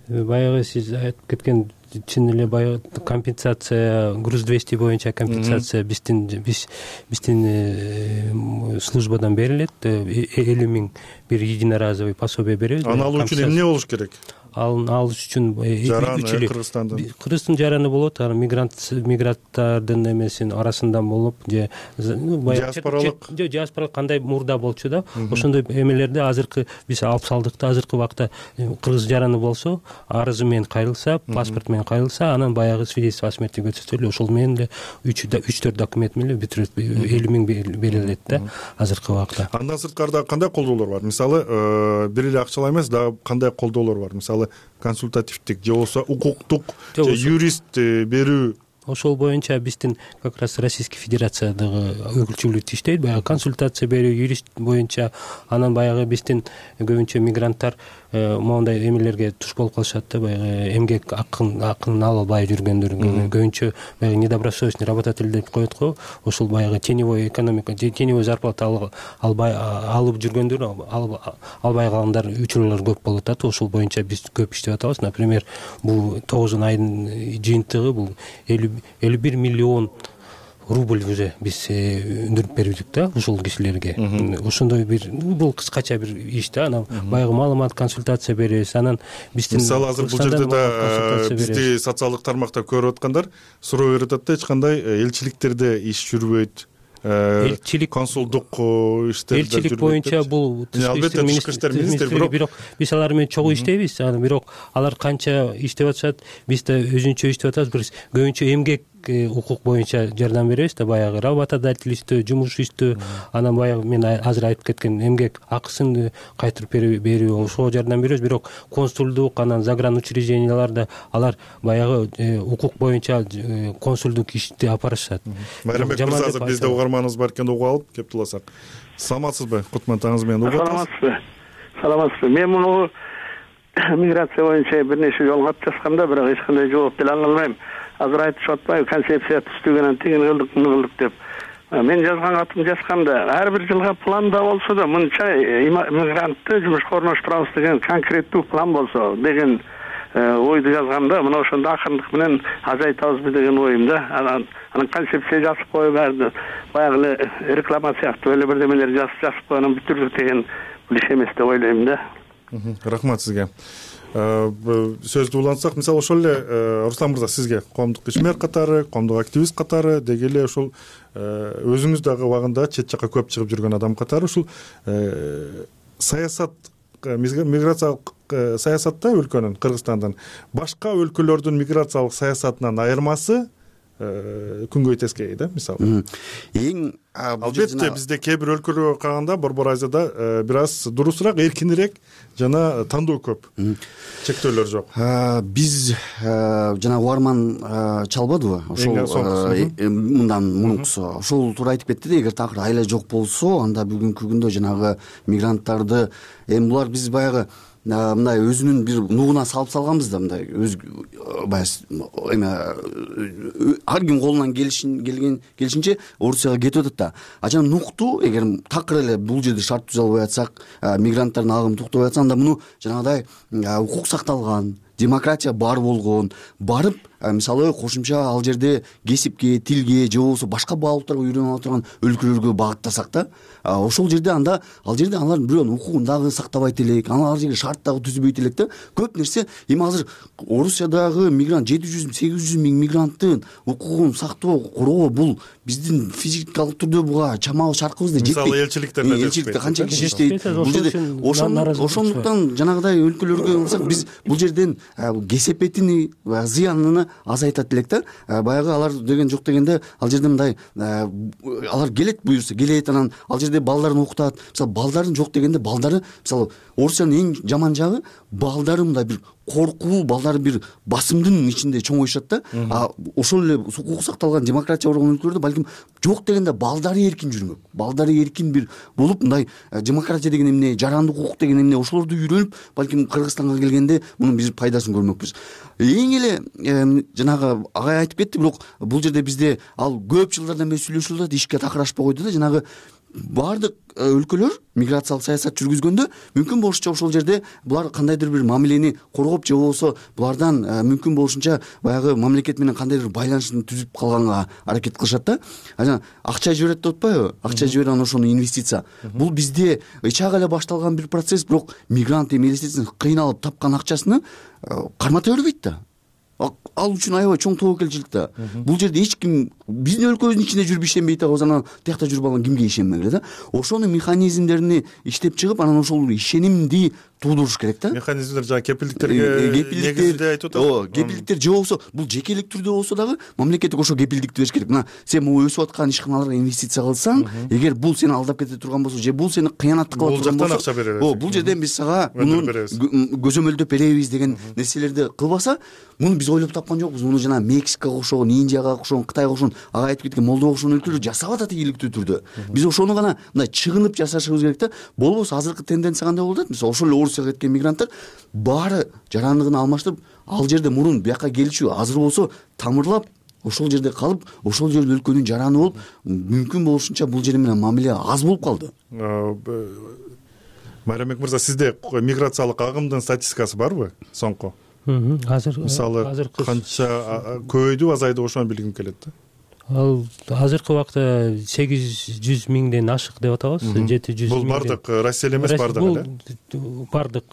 Баягы сиз айтып кеткен чын эле баягы компенсация, груз двести боюнча компенсация биздин биздин службадан берилет. элүү миң бир единоразовый пособие беребиз. Аны алуу үчүн эмне болуш керек? Ал алыш үчүн Кыргызстандын Кыргыздын жараны болот, анан мигрант мигранттардын эмесин арасынан болуп, же диаспоралык же диаспоралык кандай мурда болчу да, ошондой эмелерди азыркы биз алып салдык да. Азыркы убакта кыргыз жараны болсо, арызы менен кайрылса, паспорт менен кайрылса, анан баягы свидетельство о смерти көрсөтөлүп, ошол менен эле үч төрт документ менен бүтүрөт, элүү миң берилет да азыркы убакта. Андан сырткары кандай колдоолор бар? Мисалы, бир эле акчалай эмес, дагы кандай колдоолор бар? Мисалы, консультативдик же болбосо укуктук же юрист берүү. Ошол боюнча биздин как раз Российский Федерациядагы өкүлчүлүк иштейт. Баягы консультация берүү, юрист боюнча. Анан баягы биздин көбүнчө мигранттар моундай эмелерге туш болуп калышат да, баягы эмгек акын акын албай жүргөндөр, көбүнчө баягы недобросовестный работатель деп коет го. Ошол баягы теневой экономика, теневой зарплата албай алып жүргөндөр, албай калгандар учурлар көп болуп атат. Ошол боюнча биз көп иштеп атабыз. Например, бул тогуз айдын жыйынтыгы бул элүү бир миллион рубль уже биз өндүрүп бердик да ушул кишилерге. Ошондой бир бул кыскача бир иш да. Анан баягы маалымат, консультация беребиз. Анан биздин мисалы азыр бул жерде да бизди социалдык тармакта көрүп аткандар суроо берип атат да, эч кандай элчиликтерде иш жүрбөйт. Элчилик, консулдук иштерде жүрбөйт. Элчилик боюнча бул тышкы иштер министри, бирок биз алар менен чогуу иштейбиз. Анан бирок алар канча иштеп атышат, биз да өзүнчө иштеп атабыз. Бир көбүнчө эмгек укук боюнча жардам беребиз да, баягы работодательство, жумуш иштөө, анан баягы мен азыр айтып кеткен эмгек акысын кайтарып берүү, ошого жардам беребиз. Бирок консулдук, анан загран учрежденияларда алар баягы укук боюнча консулдук ишти алып барышат. Майрамбек мырза, азыр бизде угарманыбыз бар экен, угуп алып кеп туласак. Саламатсызбы? Кутман таңыңыз менен угуп атасыз. Саламатсызбы? Саламатсызбы? Мен муну миграция боюнча бир нече жолу кат жазгам да, бирок эч кандай жооп бере албайм. азыр айтышып атпайбы, концепция түзүлгөн тигин кылдык муну кылдык деп. Мен жазган катым жазганда ар бир жылга планда болсо да мынча мигрантты жумушка орноштурабыз деген конкреттүү план болсо деген ойду жазганда, мына ошондо акырындык менен азайтабызбы деген оюм да. Анан анан концепция жазып коюп баарды баягы эле реклама сыяктуу эле бирдемелер жазып жазып коюп анан бүтүрдүк деген бул иш эмес деп ойлойм да. Рахмат сизге. Сөздү улантсак, мисалы ошол эле Руслан мырза, сизге коомдук ишмер катары, коомдук активист катары, деги эле ошол өзүңүз дагы убагында чет жакка көп чыгып жүргөн адам катары ушул саясат, миграциялык саясатта өлкөнүн, Кыргызстандын башка өлкөлөрдүн миграциялык саясатынан айырмасы күнгөй тескей да, мисалы. Эң албетте бизде кээ бир өлкөлөргө караганда Борбор Азияда бир аз дурусураак, эркинирээк жана тандоо көп, чектөөлөр жок. Биз жана Уарман чалбадыбы ошол мындан мурункусу ошол туура айтып кетти да, эгер такыр айла жок болсо анда бүгүнкү күндө жанагы мигранттарды эми булар биз баягы мындай өзүнүн бир нугуна салып салганбыз да, мындай өз баягы эме ар ким колунан келген келишинче Орусияга кетип атат да. А жана нукту эгер такыр эле бул жерде шарт түзө албай атсак, мигранттардын агымы токтобой атса, анда муну жанагыдай укук сакталган, демократия бар болгон, барып мисалы кошумча ал жерде кесипке, тилге же болбосо башка баалуулуктарга үйрөнүп ала турган өлкөлөргө багыттасак да, ошол жерде анда ал жерде алар бирөөнүн укугун дагы сактабайт элек, ал жерге шарт дагы түзбөйт элек да. Көп нерсе эми азыр Орусиядагы мигрант жети жүз сегиз жүз миң мигранттын укугун сактоо, коргоо бул биздин физикалык түрдө буга чамалуу шаркыбызда жетпейт. Мисалы элчиликтерде элчиликте канча киши иштейт бул жерде. Ошондуктан жанагыдай өлкөлөргө барсак биз бул жерден кесепетини, зыянын азайтат элек да. Баягы алар деген жок дегенде ал жерде мындай алар келет, буюрса келет, анан ал жерде балдарын окутат. Мисалы балдарын жок дегенде балдары, мисалы Орусиянын эң жаман жагы балдары мындай бир коркуу, балдары бир басымдын ичинде чоңоюшат да. А ошол эле укук сакталган, демократия болгон өлкөлөрдө балким жок дегенде балдары эркин жүрмөк, балдары эркин бир болуп, мындай демократия деген эмне, жарандык укук деген эмне, ошолорду үйрөнүп, балким Кыргызстанга келгенде мунун биз пайдасын көрмөкпүз. Эң эле жанагы агай айтып кетти, бирок бул жерде бизде ал көп жылдардан бери сүйлөшүлүп атат, ишке такыр ашпай койду да. Жанагы баардык өлкөлөр миграциялык саясат жүргүзгөндө мүмкүн болушунча ошол жерде булар кандайдыр бир мамилени коргоп же болбосо булардан мүмкүн болушунча баягы мамлекет менен кандайдыр байланышты түзүп калганга аракет кылышат да. Анан акча жиберет деп атпайбы? Акча жиберет, анан ошону инвестиция. Бул бизде ычак эле башталган бир процесс, бирок мигрант эми инвестицияны кыйналып тапкан акчасыны кармата бербейт да. Ал үчүн аябай чоң тобокелчилик да. Бул жерде эч ким биздин өлкөбүздүн ичинде жүрүп ишенбейт да, анан тиякта жүрүп алган кимге ишенмек эле да. Ошонун механизмдерин иштеп чыгып, анан ошол ишенимди туудуруш керек да. Механизмдер жана кепилдиктерге негизинде айтып атат. Ооба, кепилдиктер же болбосо бул жекелик түрдө болсо дагы мамлекеттик ошо кепилдикти бериш керек. Мына сен могу өсүп аткан ишканаларга инвестиция кылсаң, эгер бул сени алдап кете турган болсо же бул сени кыянаттык кыла турган болсо, ооба, бул жерден биз сага муну көзөмөлдөп беребиз деген нерселерди кылбаса, муну биз ойлоп тапкан жокпуз. Муну жана Мексикага окшогон, Индияга окшогон, Кытайга окшогон, ага айтып кеткен Молдова окшогон өлкөлөр жасап атат ийгиликтүү түрдө. Биз ошону гана мындай чыгынып жашашыбыз керек да. Болбосо азыркы тенденция кандай болуп атат? Мисалы ошол эле Орусияга кеткен мигранттар баары жарандыгын алмаштырып, ал жерде мурун бияка келчү азыр болсо тамырлап, ошол жерде калып, ошол жерде өлкөнүн жараны болуп, мүмкүн болушунча бул жер менен мамиле аз болуп калды. Майрамбек мырза, сизде миграциялык агымдын статистикасы барбы соңку? Азыр мисалы канча көбөйдү, азайды, ошону билгим келет да. Ал азыркы убакта сегиз жүз миңден ашык деп атабыз. жети жүз миң. Бул бардык Россия эле эмес, бардык эле. Бул бардык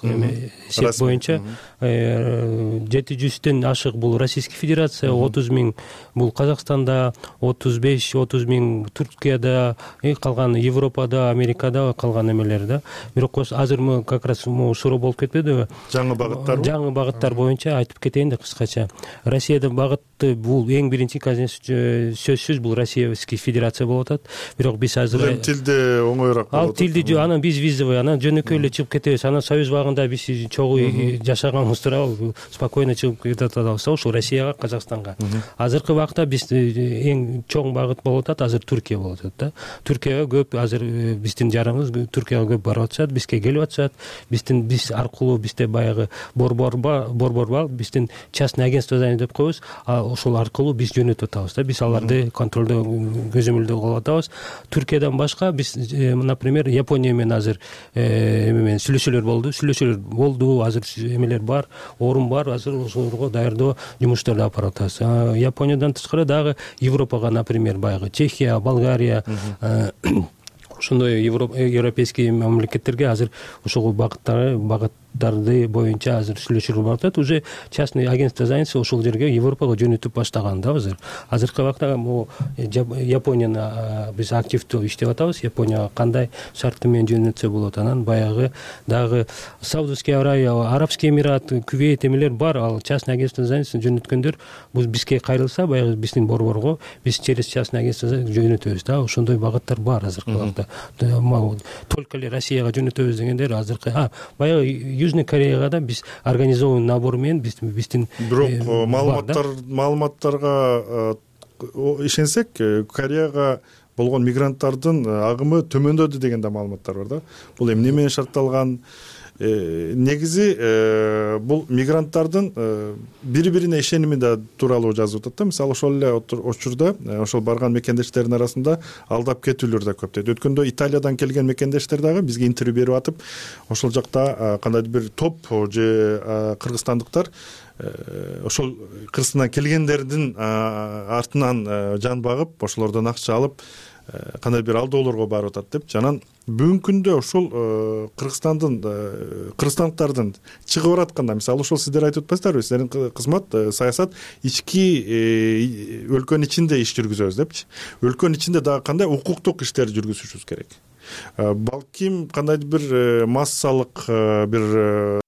эсеп боюнча жети жүздөн ашык бул Российский Федерация, отуз миң бул Казакстанда, отуз беш отуз миң Туркияда, калган Европада, Америкада калган эмелер да. Бирок азыр как раз суроо болуп кетпедиби? Жаңы багыттар. Жаңы багыттар боюнча айтып кетейин да кыскача. Россиядын багыты бул эң биринчи, конечно, сөзсүз бул Российский Федерация болуп атат. Бирок биз азыр эми тилде оңоюраак болот. Ал тилди жок, анан биз визовый, анан жөнөкөй эле чыгып кетебиз. Анан Союз убагында биз чогуу жашаганбыз туурабы спокойно чыгып кете атабыз ушул Россияга, Казакстанга. Азыркы убакта биз эң чоң багыт болуп атат азыр Түркия болуп атат да. Түркияга көп азыр биздин жарымыбыз Түркияга көп барып атышат, бизге келип атышат. Биздин биз аркылуу бизде баягы борбор бар, борбор бар, биздин частный агентство деп коебуз. Ошол аркылуу биз жөнөтүп атабыз да. Биз аларды контролдо, көзөмөлдө кылып атабыз. Түркиядан башка биз, например, Япония менен азыр эме менен сүйлөшүүлөр болду. Сүйлөшүүлөр болду, азыр эмелер бар, орун бар, азыр ошолорго даярдоо жумуштарды алып барып атабыз. Япониядан тышкары дагы Европага, например, баягы Чехия, Болгария, ошондой европейский мамлекеттерге азыр ошол багыттары багыттарды боюнча азыр сүйлөшүүлөр болуп атат. Уже частный агентство занятости ошол жерге Европага жөнөтүп баштаган да азыр. Азыркы убакта могу Японияны биз активдүү иштеп атабыз. Японияга кандай шарты менен жөнөтсө болот. Анан баягы дагы Саудовский Аравия, Арабский Эмират, Кувейт эмелер бар. Ал частный агентство занятости жөнөткөндөр бул бизге кайрылса, баягы биздин борборго биз через частный агентство жөнөтөбүз да. Ошондой багыттар бар азыркы убакта. Только эле Россияга жөнөтөбүз дегендер азыркы. А, баягы Южный Кореяга да биз организованный набор менен биздин бирок маалыматтар маалыматтарга ишенсек, Кореяга болгон мигранттардын агымы төмөндөдү деген да маалыматтар бар да. Бул эмне менен шартталган? Негизи бул мигранттардын бири-бирине ишеними да тууралуу жазып атат да. Мисалы ошол эле учурда ошол барган мекендештердин арасында алдап кетүүлөр да көп дейт. Өткөндө Италиядан келген мекендештер дагы бизге интервью берип атып, ошол жакта кандайдыр бир топ же кыргызстандыктар ошол Кыргызстандан келгендердин артынан жан багып, ошолордон акча алып кандай бир алдоолорго барып атат деп. Жанан бүгүнкү күндө ошол Кыргызстандын кыргызстандыктардын чыгып баратканда, мисалы ошол сиздер айтып атпайсыздарбы, сиздердин кызмат саясат ички өлкөнүн ичинде иш жүргүзөбүз депчи. Өлкөнүн ичинде дагы кандай укуктук иштерди жүргүзүшүбүз керек. Балким кандайдыр бир массалык бир